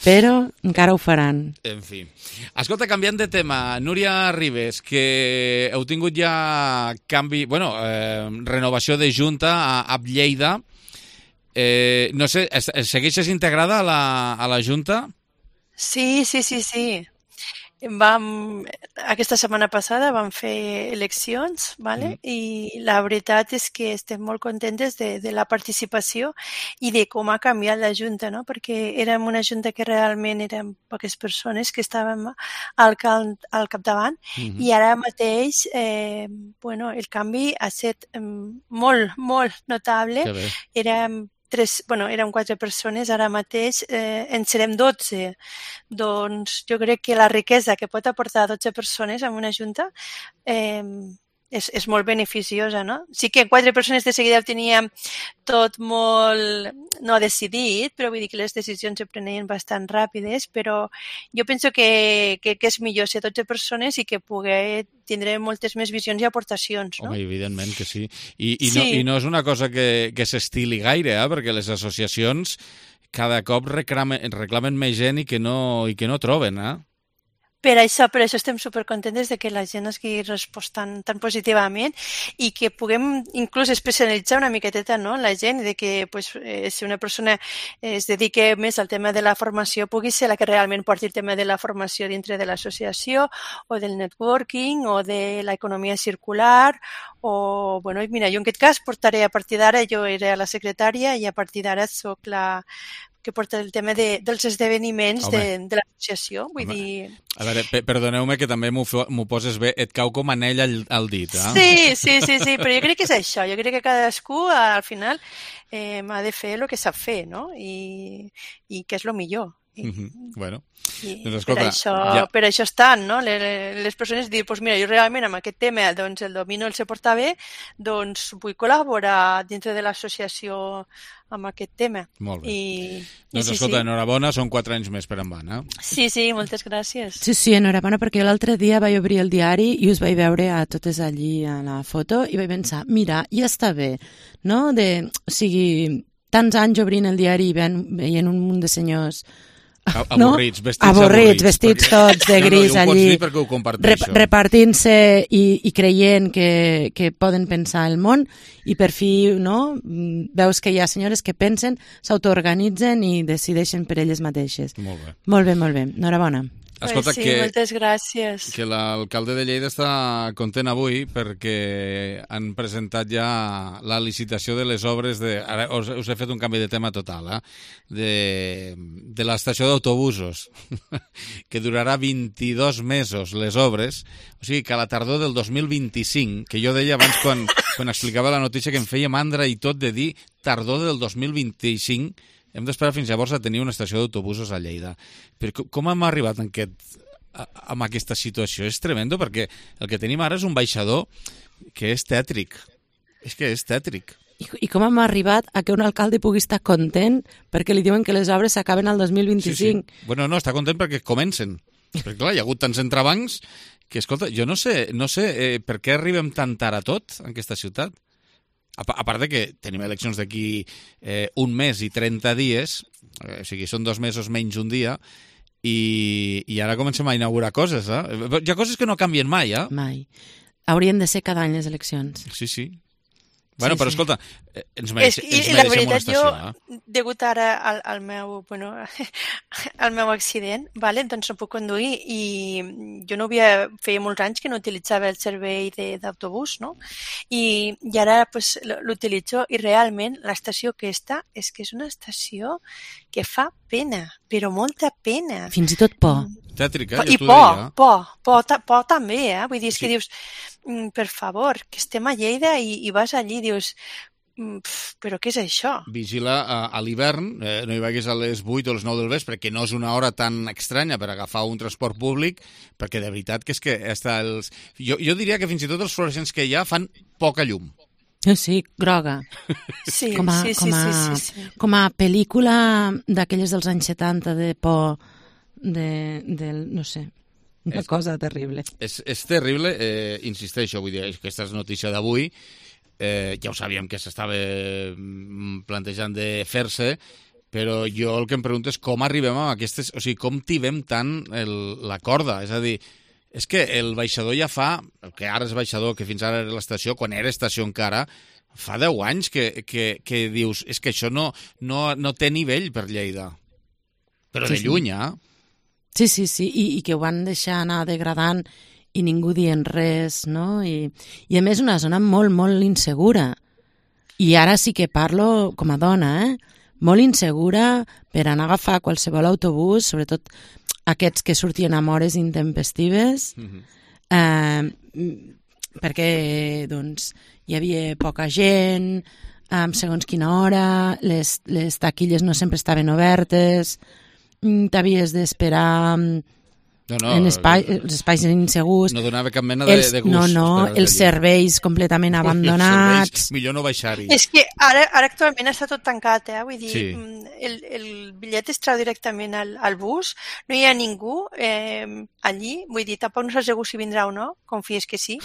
però encara ho faran. En fi. Escolta, canviant de tema, Núria Ribes, que heu tingut ja canvi, bueno, eh, renovació de Junta a, a Lleida. Eh, no sé, segueixes integrada a la, a la Junta? Sí, sí, sí, sí. Vam, aquesta setmana passada vam fer eleccions, ¿vale? Mm. I la veritat és que estem molt contentes de, de la participació i de com ha canviat la Junta, no? Perquè érem una Junta que realment eren poques persones que estàvem al, cal, al capdavant mm-hmm. i ara mateix eh, bueno, el canvi ha estat eh, molt, molt notable. Érem Tres, bueno, eren quatre persones, ara mateix eh, en serem dotze. Doncs jo crec que la riquesa que pot aportar dotze persones en una junta eh, és, és molt beneficiosa, no? Sí que quatre persones de seguida ho teníem tot molt no decidit, però vull dir que les decisions se prenien bastant ràpides, però jo penso que, que, que és millor ser dotze persones i que poder tindre moltes més visions i aportacions, no? Home, evidentment que sí. I, i, sí. No, i no és una cosa que, que s'estili gaire, eh? Perquè les associacions cada cop reclamen, reclamen més gent i que no, i que no troben, eh? Per això, per això estem supercontentes de que la gent hagi respost tan, tan positivament i que puguem inclús especialitzar una miqueteta, no? La gent, de que pues, eh, si una persona es dedica més al tema de la formació pugui ser la que realment porti el tema de la formació dintre de l'associació o del networking o de l'economia circular o, bueno, mira, jo en aquest cas portaré a partir d'ara, jo era la secretària i a partir d'ara soc la que porta el tema de, dels esdeveniments de, de l'associació. Vull Home. dir... A veure, perdoneu-me que també m'ho poses bé, et cau com anell al, al dit, eh? Sí, sí, sí, sí, però jo crec que és això. Jo crec que cadascú, al final, eh, ha de fer el que sap fer, no? I, i que és el millor. I, mm-hmm. Bueno, i doncs escolta... Per això, ja... per això estan, no? Les, les persones dir, doncs mira, jo realment amb aquest tema doncs, el domino, el sé portar bé, doncs vull col·laborar dintre de l'associació amb aquest tema. Molt bé. I, doncs i sí, escolta, sí. enhorabona, són quatre anys més per endavant, eh? Sí, sí, moltes gràcies. Sí, sí, enhorabona, perquè l'altre dia vaig obrir el diari i us vaig veure a totes allí a la foto i vaig pensar, mira, ja està bé, no? De, o sigui, tants anys obrint el diari i veient un munt de senyors... Avorrits, no? vestits avorrits, vestits perquè... tots de gris no, no, allí, rep repartint-se i, i creient que, que poden pensar el món i per fi no, veus que hi ha senyores que pensen, s'autoorganitzen i decideixen per elles mateixes. Molt bé. Molt bé, molt bé. Enhorabona. Escolta, pues sí, que, moltes gràcies. Que l'alcalde de Lleida està content avui perquè han presentat ja la licitació de les obres de... Ara us, us he fet un canvi de tema total, eh? De, de l'estació d'autobusos, que durarà vint-i-dos mesos les obres, o sigui que a la tardor del dos mil vint-i-cinc, que jo deia abans quan, quan explicava la notícia que em feia mandra i tot de dir tardor del dos mil vint-i-cinc, hem d'esperar fins llavors a tenir una estació d'autobusos a Lleida. Però com hem arribat en aquest, en aquesta situació? És tremendo, perquè el que tenim ara és un baixador que és tètric. És que és tètric. I, I com hem arribat a que un alcalde pugui estar content perquè li diuen que les obres s'acaben al dos mil vint-i-cinc? Sí, sí. Bueno, no, està content perquè comencen. Perquè, clar, hi ha hagut tants entrebancs que, escolta, jo no sé, no sé eh, per què arribem tan tard a tot en aquesta ciutat. A part de que tenim eleccions d'aquí eh, un mes i trenta dies, eh, o sigui, són dos mesos menys un dia, i, i ara comencem a inaugurar coses, eh? Hi ha coses que no canvien mai, eh? Mai. Haurien de ser cada any les eleccions. Sí, sí. Bueno, sí, però sí. escolta, ens, mereix, és, ens mereixem veritat, una estació. Jo, eh? Degut ara al, al, meu, bueno, al meu accident, vale? Doncs no puc conduir i jo no havia, feia molts anys que no utilitzava el servei d'autobús, no? I, i ara pues, l'utilitzo i realment l'estació aquesta és que és una estació que fa pena, però molta pena. Fins i tot por. Tètrica, I por, por, por, por també, eh? Vull dir, és que dius, per favor, que estem a Lleida i, i vas allí i dius, però què és això? Vigila a, a l'hivern, eh, no hi vagis a les vuit o les nou del vespre, que no és una hora tan estranya per agafar un transport públic, perquè de veritat que és que hasta els... Jo, jo diria que fins i tot els fluorescents que hi ha fan poca llum. Sí, groga. Sí, com a, sí, sí, com a, sí, sí, sí. Com a pel·lícula d'aquelles dels anys setanta de por, de, de no sé, una és, cosa terrible. És, és terrible, eh, insisteixo, vull dir, aquesta és notícia d'avui, eh, ja ho sabíem que s'estava plantejant de fer-se, però jo el que em pregunto és com arribem a aquestes... O sigui, com tibem tant el, la corda, és a dir... És que el baixador ja fa, que ara és baixador, que fins ara era l'estació, quan era estació encara, fa deu anys que, que, que dius, és que això no, no, no té nivell per Lleida. Però sí, de lluny, eh? Sí, sí, sí, I, i que ho van deixar anar degradant i ningú dient res, no? I, i a més una zona molt, molt insegura. I ara sí que parlo com a dona, eh? Molt insegura per anar a agafar qualsevol autobús, sobretot aquests que sortien amb hores intempestives, mm-hmm. eh, perquè doncs, hi havia poca gent, eh, segons quina hora, les, les taquilles no sempre estaven obertes, t'havies d'esperar No, no, en espai, els espais insegurs. No donava cap mena de, els, de gust. No, no, els serveis completament Ui, abandonats. Els serveis, millor no baixar-hi. És que ara, ara actualment està tot tancat, eh? Vull dir, Sí. el, el bitllet es trau directament al, al bus, no hi ha ningú eh, allí, vull dir, tampoc no saps segur si vindrà o no, confies que sí,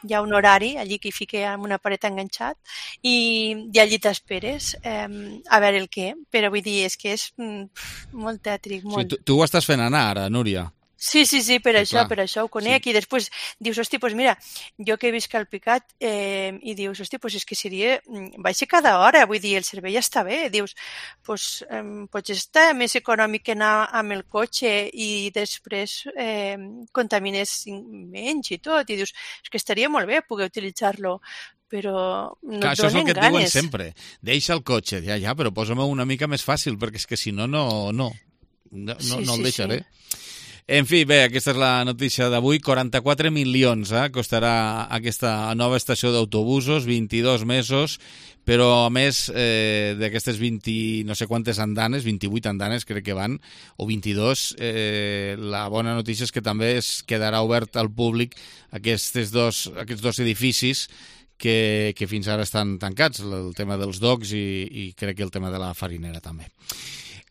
hi ha un horari allí que hi fica amb una paret enganxat i, i allí t'esperes eh, a veure el què, però vull dir, és que és mm, molt tètric, molt. Sí, tu, tu ho estàs fent anar ara, Núria. Sí, sí, sí, per Sí, això, clar. per això ho conec. Sí. I després dius, hosti, doncs mira, jo que visc al Picat, eh, i dius, hosti, doncs és que seria, vaig cada hora, vull dir, el servei ja està bé. Dius, doncs eh, potser està més econòmic que anar amb el cotxe i després eh, contamines menys i tot. I dius, és que estaria molt bé poder utilitzar-lo, però no Clar, et això és el donen que et diuen ganes. sempre. Deixa el cotxe. Ja, ja, però posa-me una mica més fàcil, perquè és que si no, no, no, no, Sí, no sí, el deixaré. sí. En fi, bé, aquesta és la notícia d'avui. quaranta-quatre milions eh, costarà aquesta nova estació d'autobusos, vint-i-dos mesos, però a més eh, d'aquestes vint, no sé quantes andanes, vint-i-vuit andanes crec que van, o vint-i-dos, eh, la bona notícia és que també es quedarà obert al públic aquests dos, aquests dos edificis que, que fins ara estan tancats, el tema dels docs i, i crec que el tema de la farinera també.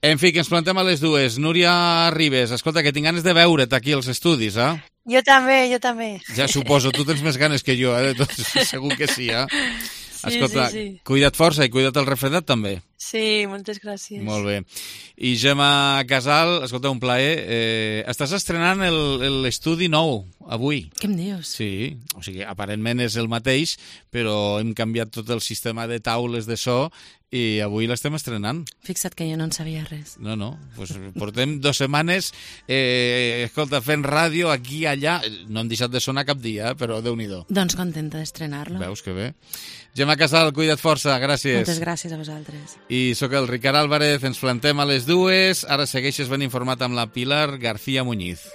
En fi, que ens plantem a les dues. Núria Ribes, escolta, que tinc ganes de veure't aquí als estudis, eh? Jo també, jo també. Ja suposo, tu tens més ganes que jo, eh? Tot, segur que sí, eh? Sí, escolta, sí, sí. Cuida't força i cuida't el refredat també. Sí, moltes gràcies. Molt bé. I Gemma Casal, escolta, un plaer. Eh, estàs estrenant el- l'estudi nou avui. Què em dius? Sí, o sigui, aparentment és el mateix, però hem canviat tot el sistema de taules de so i avui l'estem estrenant. Fixa't que jo no en sabia res. No, no, pues portem dues setmanes eh, escolta, fent ràdio aquí i allà. No hem deixat de sonar cap dia, eh, però Déu-n'hi-do. Doncs contenta d'estrenar-lo. Veus que bé. Gemma Casal, cuida't força, gràcies. Moltes gràcies a vosaltres. I sóc el Ricard Álvarez, ens plantem a les dues. Ara segueixes ben informat amb la Pilar García Muñiz.